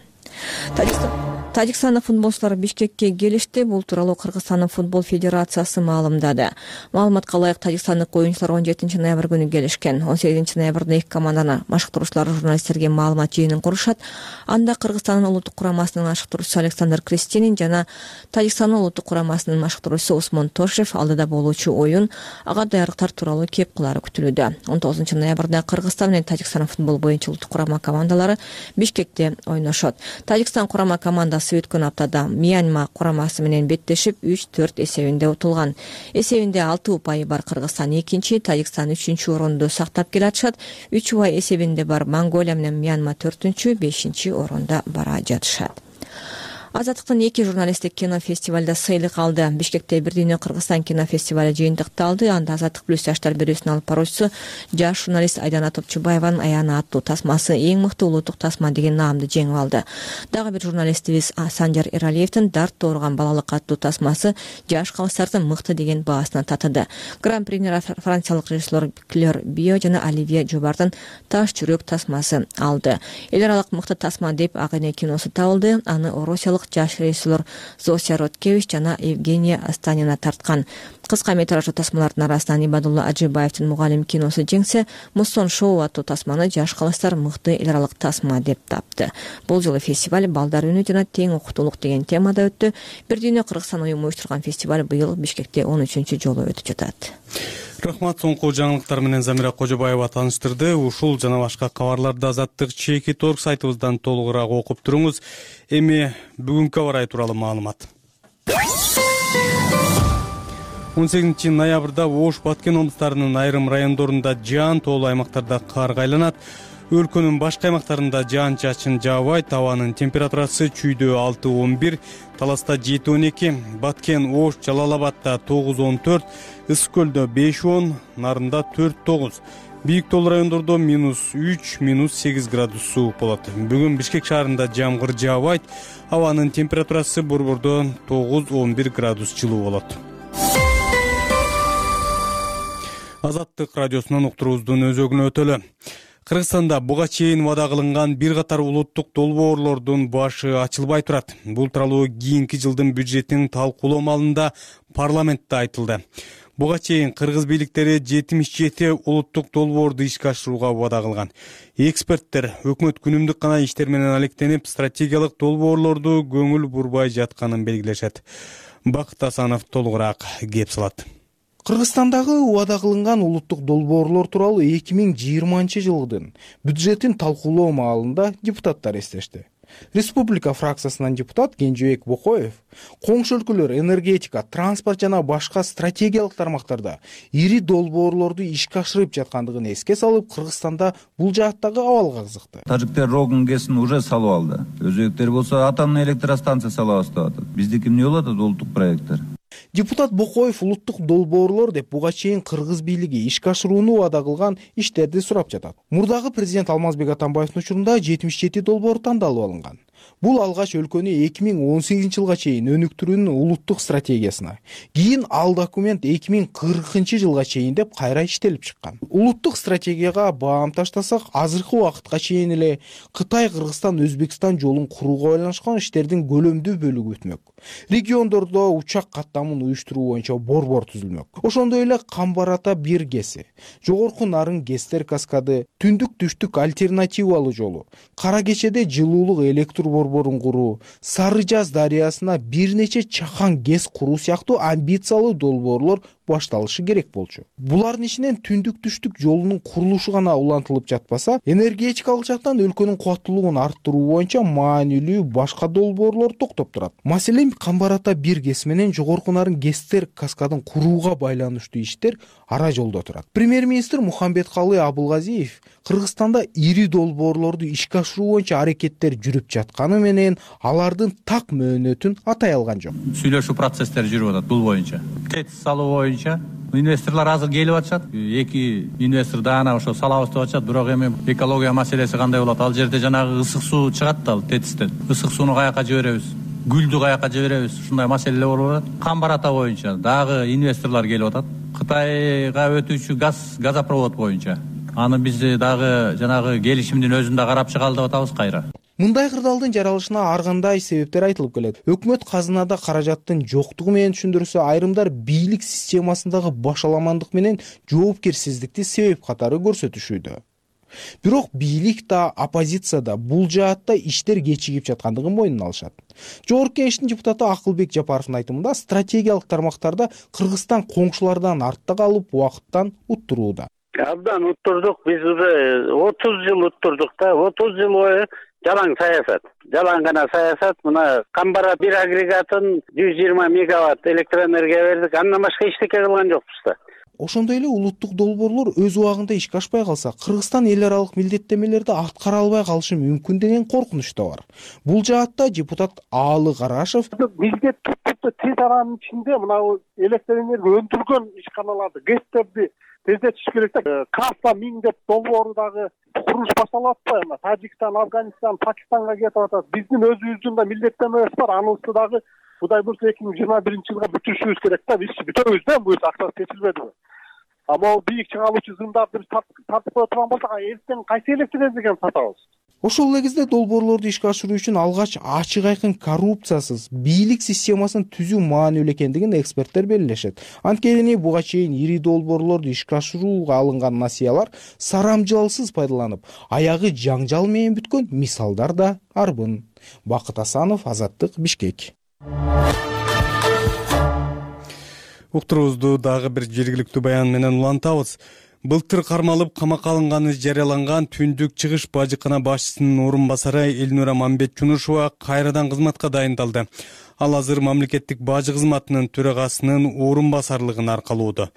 Тажикстандык футболчулар Бишкекке келишти. Бул тууралуу Кыргызстандын футбол федерациясы маалымдады. Маалыматка ылайык Тажикстандык оюнчулар 17 ноябрь күнү келишкен. 18 ноябрда эки команданы машыктыруучулар журналисттерге маалымат жыйынын курушат. Анда Кыргызстандын улуттук курамасынын машыктыруучусу Александр Кристинин жана Тажикстандын улуттук курамасынын машыктыруучусу Усмон Тошев алдыда болуучу оюн, ага даярдыктар тууралуу кеп кылары күтүлүүдө. 19 ноябрда Кыргызстан менен Тажикстан футбол боюнча улуттук курама командалары Бишкекте ойношот. Тажикстан курама командасы өткөн аптада Мьянма курамасы менен беттешип 3-4 эсебинде утулган. Эсебинде 6 упайы бар Кыргызстан 2-чи, Тажикстан 3-чү орунду сактап келатышат. 3 упай эсебинде бар Монголия менен Мьянма 4-чү, 5-чи орунда бара жатышат. Азаттыктын 2 журналисттик кинофестивалда сыйлык алды. Бишкекте Бир дүйнө Кыргызстан кинофестивалы жыйынтыкталды. Анда Азаттык плюс жаштар бирөөсүнүн алып баруучусу жаш журналист Айдана Топчубаеванын Аяны аттуу тасмасы эң мыкты улуттук тасма деген наамды жеңип алды. Дагы бир журналистибиз Санжар Эралиевдин Дарт дооруган балалык аттуу тасмасы жаш калыстардын мыкты деген баасына татыды. Гран-прини франциялык режиссер Клер Био жана Оливье Жубардын Таш жүрөк тасмасы алды. Эл аралык мыкты тасма деп Ак эне киносу табылды. Аны Орусиялык жаш режиссер Зося Роткевич жана Евгения Астанина тарткан. Кыска метраждуу тасмалардын арасынан Ибадулла Ажибаевдин Мугалим киносу жеңсе, Муссон шоу аттуу тасманы жаш калыстар мыкты эл аралык тасма деп тапты. Бул жолу фестиваль балдар үнү жана тең укуктуулук деген темада өттү. Бир дүйнө Кыргызстан уюму уюштурган фестиваль быйыл Бишкекте 13-чү жолу өтүп жатат. Рахмат, соңку жаңылыктар менен Замира Кожобаева тааныштырды. Ушул жана башка кабарларды Азаттык @org сайтыбыздан толугураак окуп туруңуз. Эми бүгүнкү аба ырайы тууралуу маалымат. 18 ноябрда Ош, Баткен облустарынын айрым райондорунда жаан, тоолуу аймактарда кар кайланат. Өлкөнүн башка аймактарында жаан-чачын жаабайт. Абанын температурасы чүйдө 6-11, Таласта 7-12, Баткен, Ош, Жалал-Абадда 9-14, Ысык көлдө 5-10, Нарында 4-9. Бийик тоолуу райондордо -3, -8 градус суук болот. Бүгүн Бишкек шаарында жамгыр жаабайт. Абанын температурасы борбордо 9-11 градус жылуу болот. Азаттык радиосунан уктуруубуздун өзөгүнө өтөлү. Кыргызстанда буга чейин вада кылынган бир катар улуттук долбоорлордун башы ачылбай турат. Бул тууралуу кийинки жылдын бюджетин талкуулоо маалында парламентте айтылды. Буга чейин кыргыз бийликтери 77 улуттук долбоорду ишке ашырууга вада кылган. Эксперттер өкмөт күнүмдүк гана иштер менен алектенип, стратегиялык долбоорлорду көңүл бурбай жатканын белгилешет. Бакыт Асанов толугураак кеп салат. Кыргызстандагы убада кылынган улуттук долбоорлор тууралуу 2020 жылдын бюджетин талкуулоо маалында депутаттар эстешти. Республика фракциясынан депутат Кенжебек Бокоев коңшу өлкөлөр энергетика, транспорт жана башка стратегиялык тармактарда ири долбоорлорду ишке ашырып жаткандыгын эске салып, Кыргызстанда бул жааттагы абалга кызыкты. Тажиктер Рогун ГЭСин уже салып алды. Өзбектер болсо атомный электростанция салабыз деп атат. Биздики эмне болот улуттук проекттер? Депутат Бокоев улуттук долбоорлор деп буга чейин кыргыз бийлиги ишке ашырууну убада кылган иштерди сурап жатат. Мурдагы президент Алмазбек Атамбаевдин учурунда 77 долбоор тандалып алынган. Бул алгач өлкөнү 2018 жылга чейин өнүктүрүүнүн улуттук стратегиясына, кийин ал документ 2040 жылга чейин деп кайра иштелип чыккан. Улуттук стратегияга баам таштасак, азыркы убакытка чейин эле Кытай, Кыргызстан, Өзбекстан жолун курууга байланышкан иштердин көлөмдүү бөлүгү өтмөк. Региондордо учак каттамын уюштуруу боюнча борбор түзүлмөк. Ошондой эле Камбар Ата 1 ГЭСи, Жогорку Нарын ГЭСтер каскады, Түндүк түштүк альтернативалуу жолу, Кара Кечеде жылуулук электр борборун куруу, Сары Жаз дарыясына бир нече чакан ГЭС куруу сыяктуу амбициялуу долбоорлор башталышы керек болчу. Булардын ичинен түндүк түштүк жолунун курулушу гана улантылып жатпаса, энергетикалык жактан өлкөнүн кубаттуулугун арттыруу боюнча маанилүү башка долбоорлор токтоп турат. Маселен, Камбар ата 1 ГЭС менен Жогорку Нарын ГЭСтер каскадын курууга байланыштуу иштер ара жолдо турат. Премьер-министр Мухамбеткалый Абулгазиев Кыргызстанда ири долбоорлорду ишке ашыруу боюнча аракеттер жүрүп жатканы менен алардын так мөөнөтүн атай алган жок. Сүйлөшүү процесстери жүрүп атат бул боюнча. ТЭЦ салуу боюнча инвесторлор азыр келип атышат. 2 инвестор даана ошо салабыз деп атышат. Бирок эми экология маселеси кандай болот? Ал жерде жанагы ысык суу чыгат да, ал ТЭЦтен. Ысык сууну каяка жиберебиз? Гүлдү каяка жиберебиз? Ушундай маселелер болуп атат. Камбар ата боюнча дагы инвесторлор келип атат. Кытайга өтүүчү газопровод боюнча. Аны биз дагы жанагы келишимдин өзүндө карап чыгалы деп атабыз кайра. Мындай кырдаалдын жаралышына ар кандай себептер айтылып келет. Өкмөт казынада каражаттын жоктугу менен түшүндүрсө, айрымдар бийлик системасындагы башаламандык менен жоопкерсиздикти себеп катары көрсөтүшүүдө. Бирок бийлик да, оппозиция да бул жаатта иштер кечигип жаткандыгын мойнуна алышат. Жогорку Кеңештин депутаты Акылбек Жапаровдун айтымында, стратегиялык тармактарда Кыргызстан коңшулардан артта калып, убакыттан уттурууда. Абдан уттурдук, биз уже 30 жыл уттурдук да, 30 жыл бою жалаң саясат. Жалаң гана саясат. Мына Камбара 1 агрегатын 120 мегаватт электроэнергия бердик. Андан башка эчтеке кылган жокпуз да. Ошондой эле улуттук долбоорлор өз убагында ишке ашпай калса, Кыргызстан эл аралык милдеттенмелерди аткара албай калышы мүмкүн деген коркунуч да бар. Бул жаатта депутат Аалы Карашев милдет тез аранын ичинде мына электроэнергия өндүргөн ишканаларды, ГЭСтерди тездетиш керек да. Кафа 1000 деп долбоору дагы курулуш башталып атпайбы? Тажикстан, Афганистан, Пакистанга кетип атат. Биздин өзүбүздүн да милдеттенмебиз бар. Анысы дагы Кудай буюрса 2021-жылга бүтүрүшүбүз керек да. Биз бүтөбүз да, бул акча чечилбедиби? Ама бийик чыгаалуучу зымдарды тартып кое турган болсок, эртең кайсы электроэнергияны сатабыз? Ошол эле кезде долбоорлорду ишке ашыруу үчүн алгач ачык айкын коррупциясыз бийлик системасын түзүү маанилүү экендигин эксперттер белгилешет. Анткени буга чейин ири долбоорлорду ишке ашырууга алынган насыялар сарамжалсыз пайдаланып, аягы жаңжал менен бүткөн мисалдар да арбын. Бакыт Асанов, Азаттык, Бишкек. Уктуруубузду дагы бир жергиликтүү баян менен улантабыз. Былтыр кармалып камакка алынганы жарыяланган Түндүк Чыгыш бажыкана башчысынын орун басары Элнура Мамбетчунушева кайрадан кызматка дайындалды. Ал азыр мамлекеттик бажы кызматынын төрагасынын орун басарлыгын аркалоодо.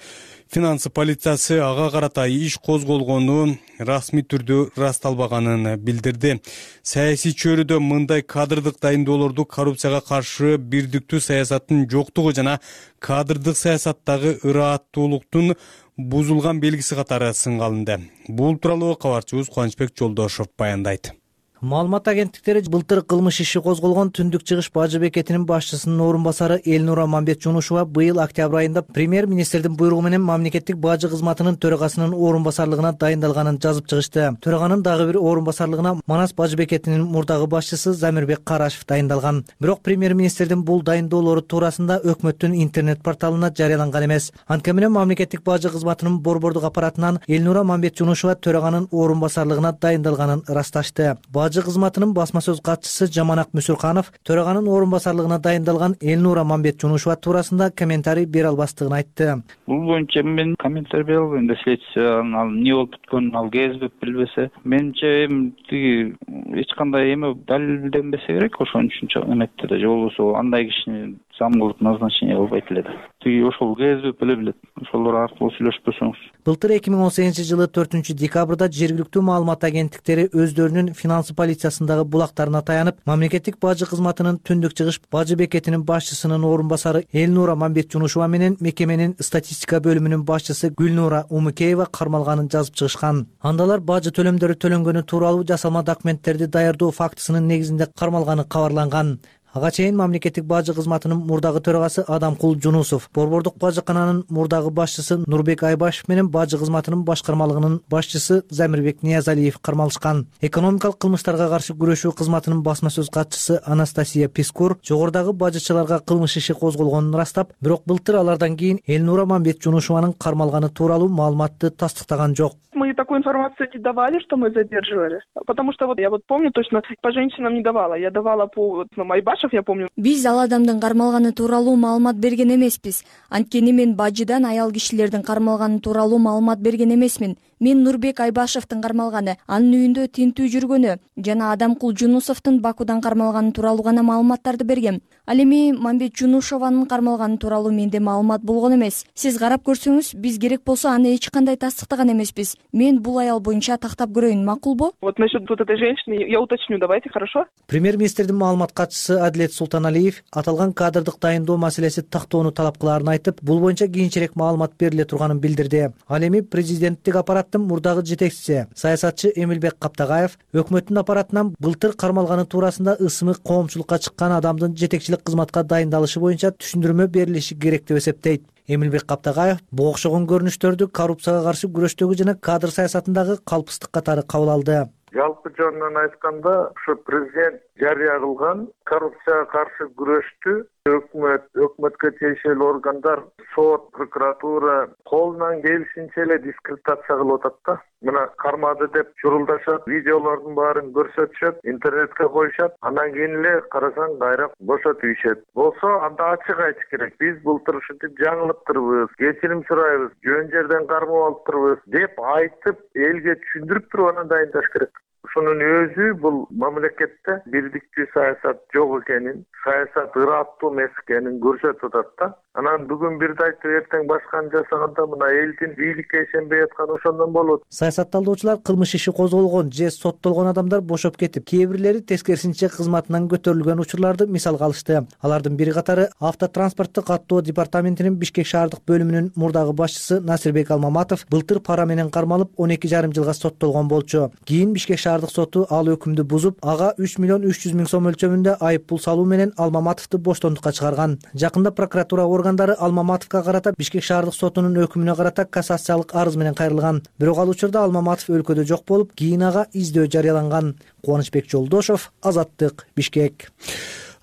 Финансы полициясы ага карата иш козголгону расмий түрдө ырасталбаганын билдирди. Саясий чөйрөдө мындай кадрдык дайындоолорду коррупцияга каршы бирдиктүү саясаттын жоктугу жана кадрдык саясаттагы ырааттуулуктун бузулган белгиси катары сынга алынды. Бул тууралуу кабарчыбыз Кубанычбек Жолдошов баяндайт. Маалымат агенттиктери былтыр кылмыш иши козголгон Түндүк Чыгыш бажы бекетинин башчысынын орун басары Элнура Мамбетчунушева быйыл октябрь айында премьер-министрдин буйругу менен мамлекеттик бажы кызматынын төрагасынын орун басарлыгына дайындалганын жазып чыгышты. Төраганын дагы бир орун басарлыгына Манас бажы бекетинин мурдагы башчысы Замирбек Карашев дайындалган. Бирок премьер-министрдин бул дайындоолору туурасында өкмөттүн интернет порталына жарыяланган эмес. Анткени менен мамлекеттик бажы кызматынын борбордук аппаратынан Элнура Мамбетчунушева төраганын орун басарлыгына дайындалганын ырасташты. Бажы кызматынын басма сөз катчысы Жаманак Мүсүрканов төраганын орун басарлыгына дайындалган Элнура Мамбетчунушева туурасында комментарий бере албастыгын айтты. Бул боюнча мен комментарий бере албайм да, следствие ал эмне болуп бүткөнүн ал кезбеп билбесе. Менимче тиги эч кандай эме далилденбесе керек ошон үчүн эметти да, же болбосо андай кишини зам кылып назначение кылбайт эле да. Тиги ошол кезбеп эле билет. Ошолор аркылуу сүйлөшпөсөңүз. Былтыр 2018-жылы 4-декабрда жергиликтүү маалымат агенттиктери өздөрүнүн финансы полициясындагы булактарына таянып, мамлекеттик бажы кызматынын Түндүк Чыгыш бажы бекетинин башчысынын орун басары Элнура Мамбетчунушева менен мекеменин статистика бөлүмүнүн башчысы Гүлнура Умукеева кармалганын жазып чыгышкан. Андалар бажы төлөмдөрү төлөнгөнү тууралуу жасалма документтерди даярдоо фактысынын негизинде кармалганы кабарланган. Ага чейин мамлекеттик бажы кызматынын мурдагы төрагасы Адамкул Жунусов, борбордук бажыкананын мурдагы башчысы Нурбек Айбашев менен бажы кызматынын башкармалыгынын башчысы Замирбек Ниязалиев кармалышкан. Экономикалык кылмыштарга каршы күрөшүү кызматынын басма сөз катчысы Анастасия Пискур жогорудагы бажычыларга кылмыш иши козголгонун ырастап, бирок былтыр алардан кийин Элнура Мамбетчунушеванын кармалганы тууралуу маалыматты тастыктаган жок. мы такую информацию не давали, что мы задерживали. Потому что я помню точно, по женщинам не давала. Я давала по Майбашев, я помню. Биз ал адамдын кармалганы тууралуу маалымат берген эмеспиз. Анткени мен бажыдан аял кишилердин кармалганы тууралуу маалымат берген эмесмин. Мен Нурбек Айбашевдин кармалганы, анын үйүндө тинтүү жүргөнү жана Адамкул Жунусовдун Бакудан кармалганы тууралуу гана маалыматтарды бергем. Ал эми Мамбет Жунушованын кармалганы тууралуу менде маалымат болгон эмес. Сиз карап көрсөңүз, биз керек болсо аны эч кандай тастыктаган эмеспиз. Мен бул аял боюнча тактап көрөйүн, макулбу? Вот насчет вот этой женщины я уточню, давайте, хорошо? Премьер-министрдин маалымат катчысы Адилет Султаналиев аталган кадрдык дайындоо маселеси тактоону талап кылаарын айтып, бул боюнча кийинчерээк маалымат бериле турганын билдирди. Ал эми президенттик аппараттын мурдагы жетекчиси, саясатчы Эмилбек Каптагаев өкмөттүн аппаратынан былтыр кармалганы туурасында ысымы коомчулукка чыккан адамдын жетекчилик кызматка дайындалышы боюнча түшүндүрмө берилиши керек деп эсептейт. Эмилбек Каптагаев буга окшогон көрүнүштөрдү коррупцияга каршы күрөштөгү жана кадр саясатындагы калпыстык катары кабыл алды. Жалпы жөнүнөн айтканда, ушу президент жарыя кылган коррупцияга каршы күрөштү өкмөткө тиешелүү органдар, сот, прокуратура колунан келишинче эле дискредитация кылып атат да. Мына кармады деп журулдашат, видеолордун баарын көрсөтүшөт, интернетке коюшат, анан кийин эле карасаң кайра бошот ийишет. Болсо анда ачык айтыш керек. Биз былтыр ушинтип жаңылыптырбыз, кечирим сурайбыз, жөн жерден кармап алыптырбыз деп айтып, элге түшүндүрүп туруп анан дайындаш керек. Ушунун өзү бул мамлекетте бирдиктүү саясат жок экенин, саясат ыраттуу эмес экенин көрсөтүп атат да. Анан бүгүн бирди айтып, эртең башканы жасаганда мына элдин бийликке ишенбей атканы ошондон болот. Саясат талдоочулар кылмыш иши козголгон же соттолгон адамдар бошоп кетип, кээ бирлери тескерисинче кызматынан көтөрүлгөн учурларды мисалга алышты. Алардын бири катары автотранспорттук каттоо департаментинин Бишкек шаардык бөлүмүнүн мурдагы башчысы Насирбек Алмаматов былтыр пара менен кармалып 12,5 жылга соттолгон болчу. Кийин Бишкек шаардык соту ал өкүмдү бузуп, ага 3,3 миллион сом мөлчөрүндө айып пул салуу менен Алмаматовду боштондукка чыгарган. Жакында прокуратура органдары Алмаматовго карата Бишкек шаардык сотунун өкүмүнө карата кассациялык арыз менен кайрылган. Бирок ал учурда Алмаматов өлкөдө жок болуп, кийин ага издөө жарыяланган. Кубанычбек Жолдошов, Азаттык, Бишкек.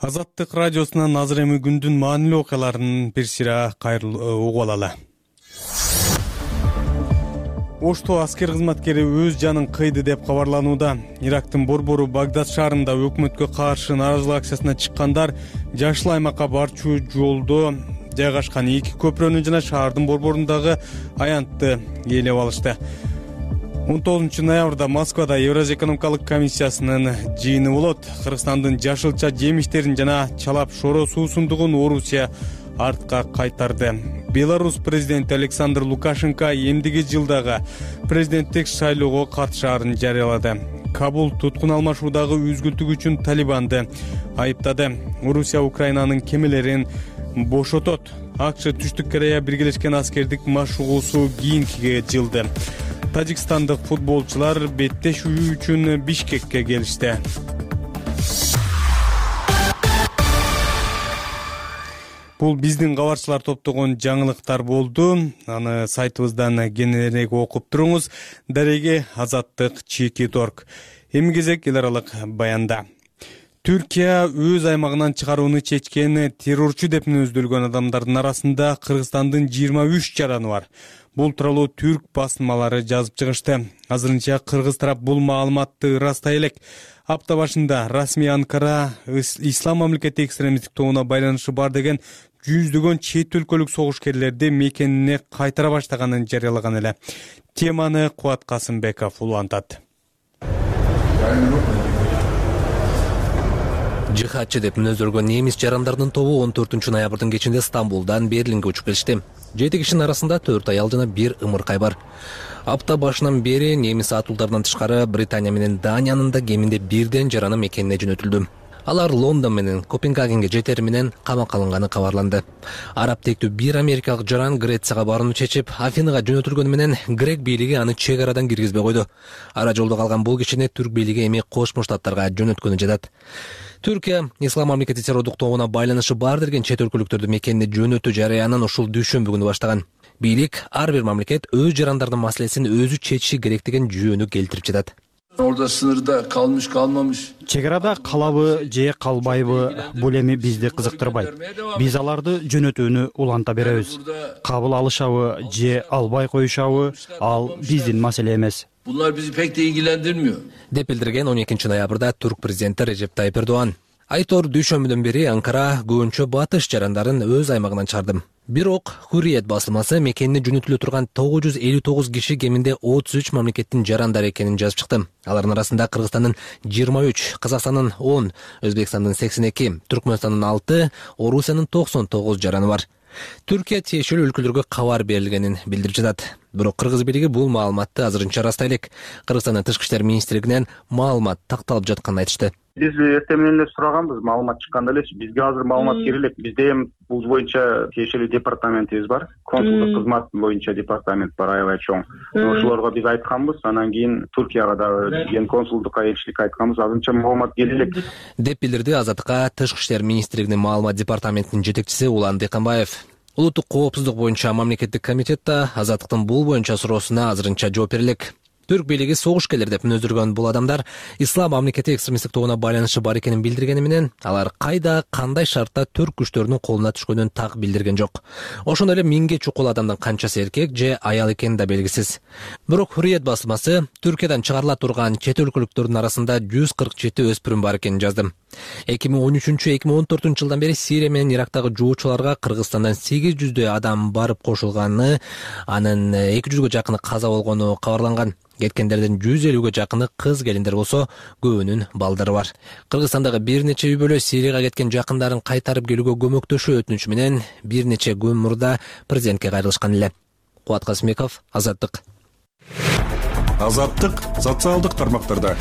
Азаттык радиосунан азыр эми күндүн маанилүү окуяларын бир сыйра угуп алалы. Ошто аскер кызматкери өз жанын кыйды деп кабарланууда. Ирактын борбору Багдад шаарында өкмөткө каршы нааразылык акциясына чыккандар жашыл аймакка барчу жолдо жайгашкан эки көпүрөнү жана шаардын борборундагы аянтты ээлеп алышты. 19 ноябрда Москвада Евразия экономикалык комиссиясынын жыйыны болот. Кыргызстандын жашылча жемиштерин жана чалап шоро суусундугун Орусия артка кайтарды. Беларусь президенти Александр Лукашенко эмдиги жылдагы президенттик шайлоого катышаарын жарыялады. Кабул туткун алмашуудагы үзгүлтүк үчүн Талибанды айыптады. Орусия Украинанын кемелерин бошотот. АКШ Түштүк Корея биргелешкен аскердик машыгуусу кийинкиге жылды. Тажикстандык футболчулар беттешүү үчүн Бишкекке келишти. Бул биздин кабарчылар топтогон жаңылыктар болду. Аны сайтыбыздан кененирээк окуп туруңуз. Дареги Азаттык Чеки.org. Эми кезек эл аралык баянда. Түркия өз аймагынан чыгарууну чечкен террорчу деп мүнөздөлгөн адамдардын арасында Кыргызстандын 23 жараны бар. Бул тууралуу түрк басылмалары жазып чыгышты. Азырынча кыргыз тарап бул маалыматты ырастай элек. Апта башында расмий Анкара ислам мамлекети экстремисттик тобуна байланышы бар деген жүздөгөн чет өлкөлүк согушкерлерди мекенине кайтара баштаганын жарыялаган эле. Теманы Кубат Касымбеков улантат. Жихадчы деп мүнөздөлгөн немис жарандардын тобу 14 ноябрдын кечинде Стамбулдан Берлинге учуп келишти. 7 кишинин арасында 4 аял жана 1 ымыркай бар. Апта башынан бери немис атуулдарынан тышкары Британия менен Даниянын да кеминде бирден жараны мекенине жөнөтүлдү. Алар Лондон менен Копенгагенге жетери менен камакка алынганы кабарланды. Араб тектүү бир америкалык жаран Грецияга барууну чечип, Афинага жөнөтүлгөнү менен грек бийлиги аны чек арадан киргизбей койду. Ара жолдо калган бул кишини түрк бийлиги эми Кошмо Штаттарга жөнөткөнү жатат. Түркия ислам мамлекети террордук тобуна байланышы бар деген чет өлкөлүктөрдү мекенине жөнөтүү жарыянын ушул дүйшөмбү күнү баштаган. Бийлик ар бир мамлекет өз жарандардын маселесин өзү чечиши керек деген жүйөнү келтирип жатат. Orada sınırda kalmış kalmamış. Чек арада калабы же калбайбы бул эми бизди кызыктырбайт. Биз аларды жөнөтүүнү уланта беребиз. Кабыл алышабы же албай коюшабы ал биздин маселе эмес. Bunlar bizi pek de ilgilendirmiyor. деп билдирген 12 ноябрда Түрк президенти Режеп Тайып Эрдоган. Айтор дүйшөмбүдөн бери Анкара көбүнчө батыш жарандарын өз аймагынан чыгарды. Бирок Hurriyet басылмасы мекенине жөнөтүлө турган 959 киши кеминде 33 мамлекеттин жарандары экенин жазып чыкты. Алардын арасында Кыргызстандын 23, Казакстандын 10, Өзбекстандын 82, Түркмөнстандын 6, Орусиянын 99 жараны бар. Түркия тиешелүү өлкөлөргө кабар берилгенин билдирип жатат. Бирок Кыргыз бийлиги бул маалыматты азырынча растай элек. Кыргызстандын Тышкы иштер министрлигинен маалымат такталып жатканын айтышты. Биз эртең менен эле сураганбыз, маалымат чыкканда эле бизге азыр маалымат кире элек. Бизде эми бул боюнча тиешелүү департаментибиз бар, консулдук кызмат боюнча департамент бар, аябай чоң. Ошолорго биз айтканбыз, анан кийин Туркияга дагы ген консулдукка элчиликке айтканбыз, азырынча маалымат келе элек. Деп билдирди Азаттыкка Тышкы иштер министрлигинин маалымат департаментинин жетекчиси Улан Деканбаев. Улуттук коопсуздук боюнча мамлекеттик комитетте Азаттыктын бул боюнча суроосуна азырынча жооп бере элек. Түрк бийлиги согушкерлер деп мүнөздөргөн бул адамдар ислам мамлекети экстремисттик тобуна байланышы бар экенин билдиргени менен алар кайда, кандай шартта түрк күчтөрүнүн колуна түшкөнүн так билдирген жок. Ошондой эле 1000ге чукул адамдын канчасы эркек же аял экени да белгисиз. Бирок Hurriyet басылмасы Түркиядан чыгарыла турган чет өлкөлүктөрдүн арасында 147 өспүрүм бар экенин жазды. 2013-2014 жылдан бери Сирия менен Ирактагы жоочуларга Кыргызстандан 800 адам барып кошулганы, анын 200га жакыны каза болгону кабарланган. Кеткендердин 150ге жакыны кыз келиндер болсо, көбүнүн балдары бар. Кыргызстандагы бир нече үй бүлө Сирияга кеткен жакындарын кайтарып келүүгө көмөктөшүү өтүнүчү менен бир нече күн мурда президентке кайрылышкан эле. Кубат Касымбеков, Азаттык. Азаттык социалдык тармактарда.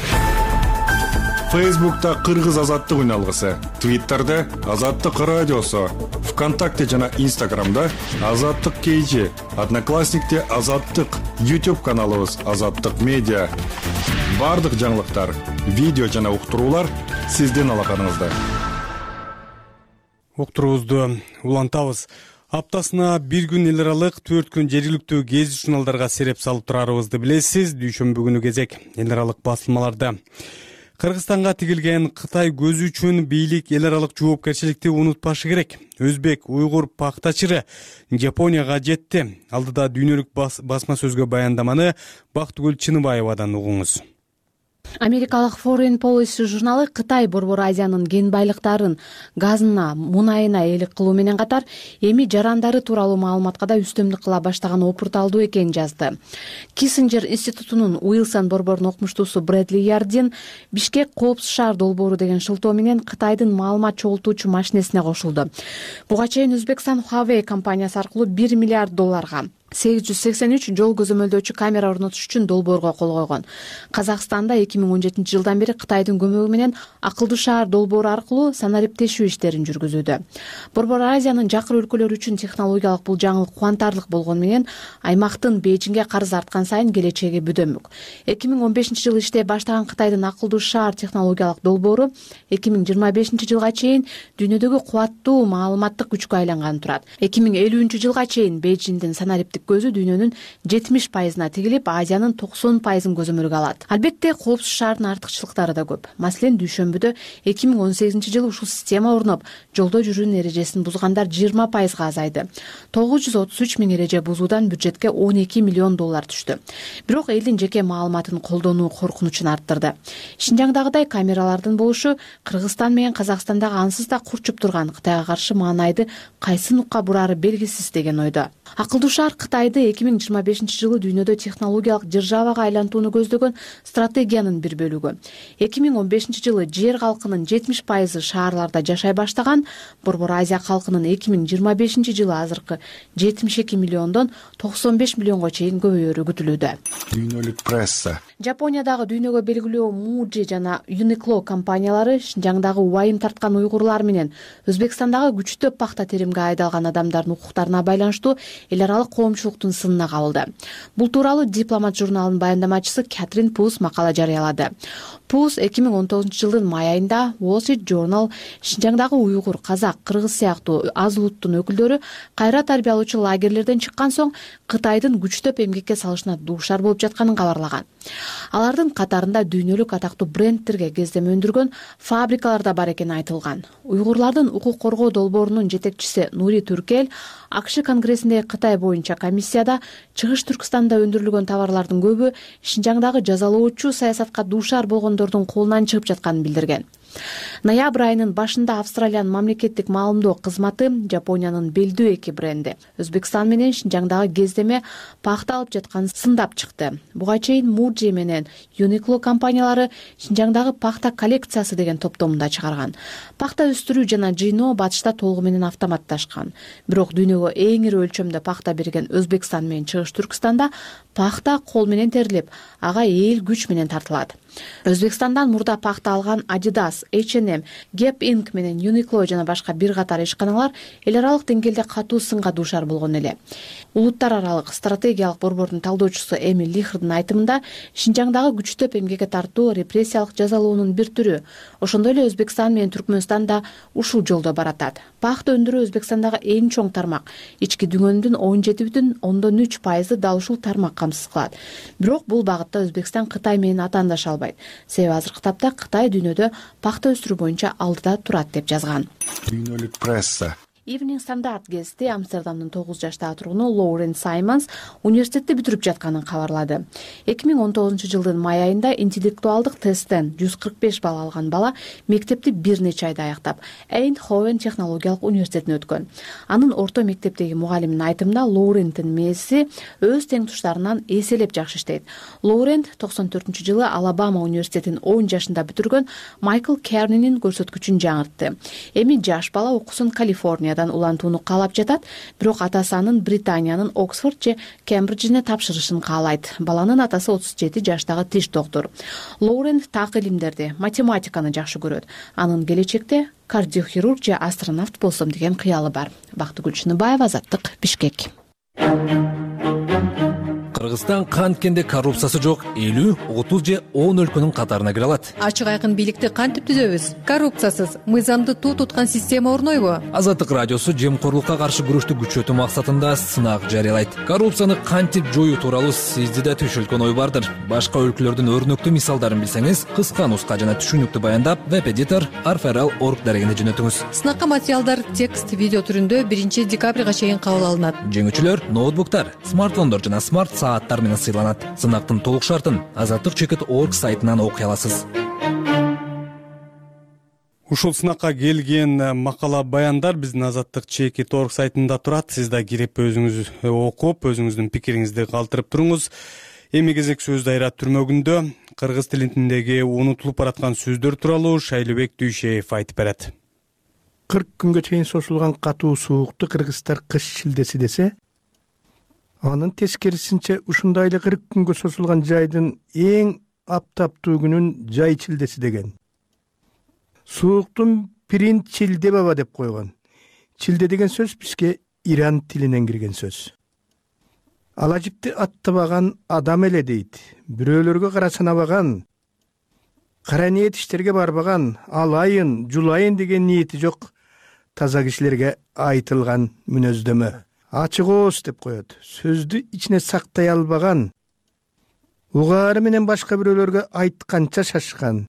Фейсбукта Кыргыз Азаттык үналгысы, Твиттерде Азаттык радиосу, ВКонтакте жана Инстаграмда Азаттык KG, Одноклассникте Азаттык, YouTube каналыбыз Азаттык Медиа. Бардык жаңылыктар, видео жана уктуруулар сиздин алаканыңызда. Уктуруубузду улантабыз. Аптасына бир күн эл аралык, 4 күн жергиликтүү гезит журналдарга сереп салып турарыбызды билесиз. Дүйшөмбү күнү кезек эл аралык басылмаларда. Кыргызстанга тигилген Кытай көзү үчүн бийлик эл аралык жоопкерчиликти унутпашы керек. Өзбек, уйгур пахтачыры Жапонияга жетти. Алдыда дүйнөлүк басма сөзгө баяндаманы Бактыгүл Чыныбаевадан угуңуз. Америкалык Foreign Policy журналы Кытай Борбор Азиянын кен байлыктарын, газына, мунайына ээлик кылуу менен катар эми жарандары тууралуу маалыматка да үстөмдүк кыла баштаган опурталдуу экенин жазды. Киссинджер институтунун Уилсон борборунун окумуштуусу Брэдли Ярдин Бишкек коопсуз шаар долбоору деген шылтоо менен Кытайдын маалымат чогултуучу машинесине кошулду. Буга чейин Өзбекстан Huawei компаниясы аркылуу $1 миллиард 883 жол көзөмөлдөөчү камера орнотуш үчүн долбоорго кол койгон. Казакстанда 2017 жылдан бери Кытайдын көмөгү менен акылдуу шаар долбоору аркылуу санариптешүү иштерин жүргүзүүдө. Борбор Азиянын жакыр өлкөлөрү үчүн технологиялык бул жаңылык кубантарлык болгону менен аймактын Бейжиңге карызы арткан сайын келечеги бүдөмүк. 2015 жылы иштей баштаган Кытайдын акылдуу шаар технологиялык долбоору 2025 жылга чейин дүйнөдөгү кубаттуу маалыматтык күчкө айланганы турат. 2050 жылга чейин Бейжиңдин санариптик көзү дүйнөнүн 70%-на тигилип, Азиянын 90%-ын көзөмөлгө алат. Албетте, коопсуз шаардын артыкчылыктары да көп. Маселен, дүйшөмбүдө 2018 жылы ушул система орноп, жолдо жүрүүнүн эрежесин бузгандар 20%-га азайды. 933 миң эреже бузуудан бюджетке $12 миллион түштү. Бирок элдин жеке маалыматын колдонуу коркунучун арттырды. Шинжаңдагыдай камералардын болушу Кыргызстан менен Казакстандагы ансыз да курчуп турган Кытайга каршы маанайды кайсы нукка бурары белгисиз деген ойдо. Акылдуу шаар Кытайды 2025 жылы дүйнөдө технологиялык державага айлантууну көздөгөн стратегиянын бир бөлүгү. 2015 жылы жер калкынын 70% шаарларда жашай баштаган, Борбор Азия калкынын 2025 жылы азыркы 72 миллиондон 95 миллионго чейин көбөйөрү күтүлүүдө. Дүйнөлүк пресса. Жапониядагы дүйнөгө белгилүү Muji жана Uniqlo компаниялары Шинжаңдагы убайым тарткан уйгурлар менен Өзбекстандагы күчтүү пахта теримге айдалган адамдардын укуктарына байланыштуу эл аралык коомчулуктун сынына кабылды. Бул тууралуу Дипломат журналынын баяндамачысы Кэтрин Пус макала жарыялады. PUS 2019-жылдын май айында Wall Street Journal Шинжаңдагы уйгур, казак, кыргыз сыяктуу аз улуттун өкүлдөрү кайра тарбия алуучу лагерлерден чыккан соң Кытайдын күчтөп эмгекке салышына дуушар болуп жатканын кабарлаган. Алардын катарында дүйнөлүк атактуу брендтерге кездеме өндүргөн фабрикалар да бар экени айтылган. Уйгурлардын укук коргоо долбоорунун жетекчиси Нури Түркел АКШ Конгрессиндеги Кытай боюнча комиссияда Чыгыш Түркстанда өндүрүлгөн товарлардын көбү Шинжаңдагы жазалоочу саясатка дуушар болгондордун колунан чыгып жатканын билдирген. Ноябрь айынын башында Австралиянын мамлекеттик маалымдоо кызматы Жапониянын белдүү эки бренди Өзбекстан менен Шинжаңдагы кездеме пахта алып жатканын сындап чыкты. Буга чейин Muji менен Uniqlo компаниялары Шинжаңдагы пахта коллекциясы деген топтомунда чыгарган. Пахта өстүрүү жана жыйноо батышта толугу менен автоматташкан. Бирок дүйнөгө эң ири өлчөмдө пахта берген Өзбекстан менен Чыгыш Түркстанда пахта кол менен терилип, ага эл күч менен тартылат. Өзбекстандан мурда пахта алган Adidas, H&M, Gap Inc менен Uniqlo жана башка бир катар ишканалар эл аралык деңгээлде катуу сынга дуушар болгон эле. Улуттар аралык стратегиялык борбордун талдоочусу Эми Лихрдын айтымында Шинжаңдагы күчтөп эмгекке тартуу репрессиялык жазалоонун бир түрү. Ошондой эле Өзбекстан менен Түркмөнстан да ушул жолдо баратат. Пахта өндүрүү Өзбекстандагы эң чоң тармак. Ички дүнгөндүн 17,3% дал ушул тармак камсыз кылат. Бирок бул багытта Өзбекстан Кытай менен атаандаша албайт. Себеби азыркы тапта Кытай дүйнөдө пахта өстүрүү боюнча алдыда турат деп жазган. Дүйнөлүк пресса. Evening Standard гезити Амстердамдын 9 жаштагы тургуну Лоурен Саймонс университетти бүтүрүп жатканын кабарлады. 2019-жылдын май айында интеллектуалдык тесттен 145 балл алган бала мектепти бир нече айда аяктап, Эйндховен технологиялык университетине өткөн. Анын орто мектептеги мугалиминин айтымында Лоуренттин мээси өз теңтуштарынан эселеп жакшы иштейт. Лоурент 94-жылы Алабама университетин 10 жашында бүтүргөн Майкл Кернинин көрсөткүчүн жаңыртты. Эми жаш бала окуусун Калифорнияда улантууну каалап жатат, бирок атасы анын Британиянын Оксфорд же Кембриджине тапшырышын каалайт. Баланын атасы 37 жаштагы тиш доктор. Лоурен так илимдерди, математиканы жакшы көрөт. Анын келечекте кардиохирург же астронавт болсом деген кыялы бар. Бактыгүл Чыныбаева, Азаттык, Бишкек. Кыргызстан канткенде коррупциясы жок 50, 30 же 10 өлкөнүн катарына кире алат. Ачык айкын бийликти кантип түзөбүз? Коррупциясыз, мыйзамды туу туткан система орнойбу? Азаттык радиосу жемкорлукка каршы күрөштү күчөтүү максатында сынак жарыялайт. Коррупцияны кантип жоюу тууралуу сизде да түшүлгөн ой бардыр. Башка өлкөлөрдүн өрнөктүү мисалдарын билсеңиз, кыска нуска жана түшүнүктүү баяндап веб-эдитор arferal.org дарегине жөнөтүңүз. Сынакка материалдар текст, видео түрүндө 1 декабрга чейин кабыл алынат. Жеңүүчүлөр ноутбуктар, смартфондор жана смарт сааттар менен сыйланат. Сынактын толук шартын azattik.org сайтынан окуй аласыз. Ушул сынакка келген макала баяндар биздин azattik.org сайтында турат. Сиз да кирип өзүңүз окуп, өзүңүздүн пикириңизди калтырып туруңуз. Эми кезек сөз дайра түрмөгүндө кыргыз тилиндеги унутулуп бараткан сөздөр тууралуу Шайлыбек Дүйшеев айтып берет. 40 күнгө чейин созулган катуу суукту кыргыздар кыш шилдеси десе, анын тескерисинче ушундай эле 40 күнгө созулган жайдын эң аптаптуу күнүн жай чилдеси деген. Сууктун пирин чилде баба деп койгон. Чилде деген сөз бизге Иран тилинен кирген сөз. Алажипти аттабаган адам эле дейт. Бирөөлөргө кара санабаган, кара ниет иштерге барбаган, алайын, жулайын деген ниети жок таза кишилерге айтылган мүнөздөмө. Ачык ооз деп коет. Сөздү ичине сактай албаган, угаары менен башка бирөөлөргө айтканча шашкан,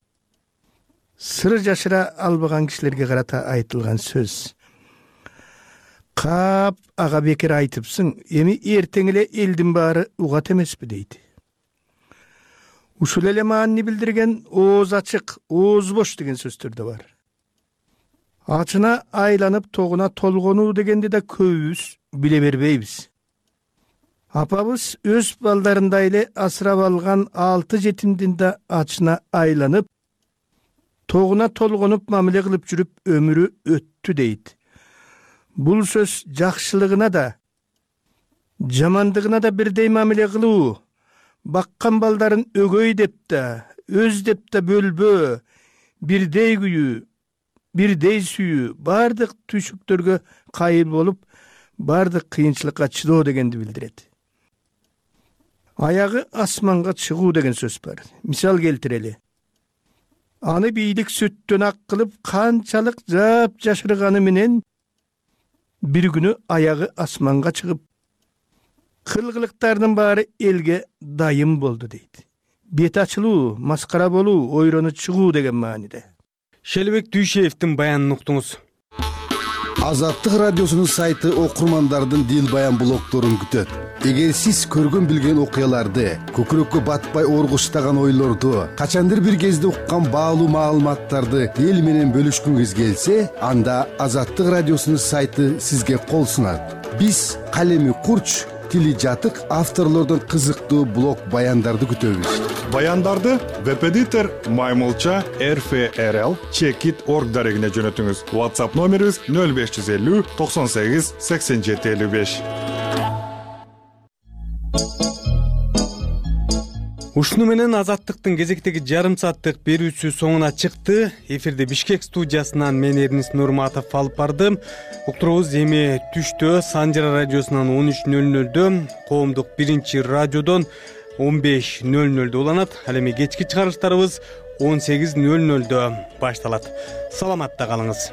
сыр жашыра албаган кишилерге карата айтылган сөз. Кап ага бекер айтыпсың, эми эртең эле элдин баары угат эмеспи дейт. Ушул эле маани билдирген ооз ачык, ооз бош деген сөздөр да бар. Ачына айланып тогуна толгонуу дегенди да көбүбүз биле бербейбиз. Апабыз өз балдарындай эле асырап алган 6 жетимдин да ачына айланып, тогуна толгонуп мамиле кылып жүрүп өмүрү өттү дейт. Бул сөз жакшылыгына да, жамандыгына да бирдей мамиле кылуу, баккан балдарын өгөй деп да, өз деп да бөлбөө, бирдей күйүү, бирдей сүйүү, бардык түйшүктөргө кайыл болуп, бардык кыйынчылыкка чыдоо дегенди билдирет. Аягы асманга чыгуу деген сөз бар. Мисал келтирели. аны бийлик сүттөн ак кылып канчалык жашырганы менен бир күнү аягы асманга чыгып кылгылыктардын баары элге дайым болду дейт. Бет ачылуу, маскара болуу, ойрону чыгуу деген мааниде. Шелбек Дүйшеевдин баянын уктуңуз. Азаттык радиосунун сайты окурмандардын дил баян блогдорун күтөт. Эгер сиз көргөн билген окуяларды, көкүрөккө батпай оргуштаган ойлорду, качандыр бир кезде уккан баалуу маалыматтарды эл менен бөлүшкүңүз келсе, анда Азаттык радиосунун сайты сизге кол сунат. Биз калеми курч, тили жатык авторлордун кызыктуу блог баяндарды күтөбүз. Баяндарды веб-эдитор Маймылча RFRL Checkit.org дарегине жөнөтүңүз. WhatsApp номерибиз 0550 98 87 55. Ушуну менен Азаттыктын кезектеги жарым сааттык берүүсү соңуна чыкты. Эфирде Бишкек студиясынан мен Эрнис Нурматов алып бардым. Уктурубуз эми түштө Санжара радиосунан 13:00, коомдук биринчи радиодон 15:00 уланат. Ал эми кечки чыгарыштарыбыз 18:00 башталат. Саламатта калыңыз.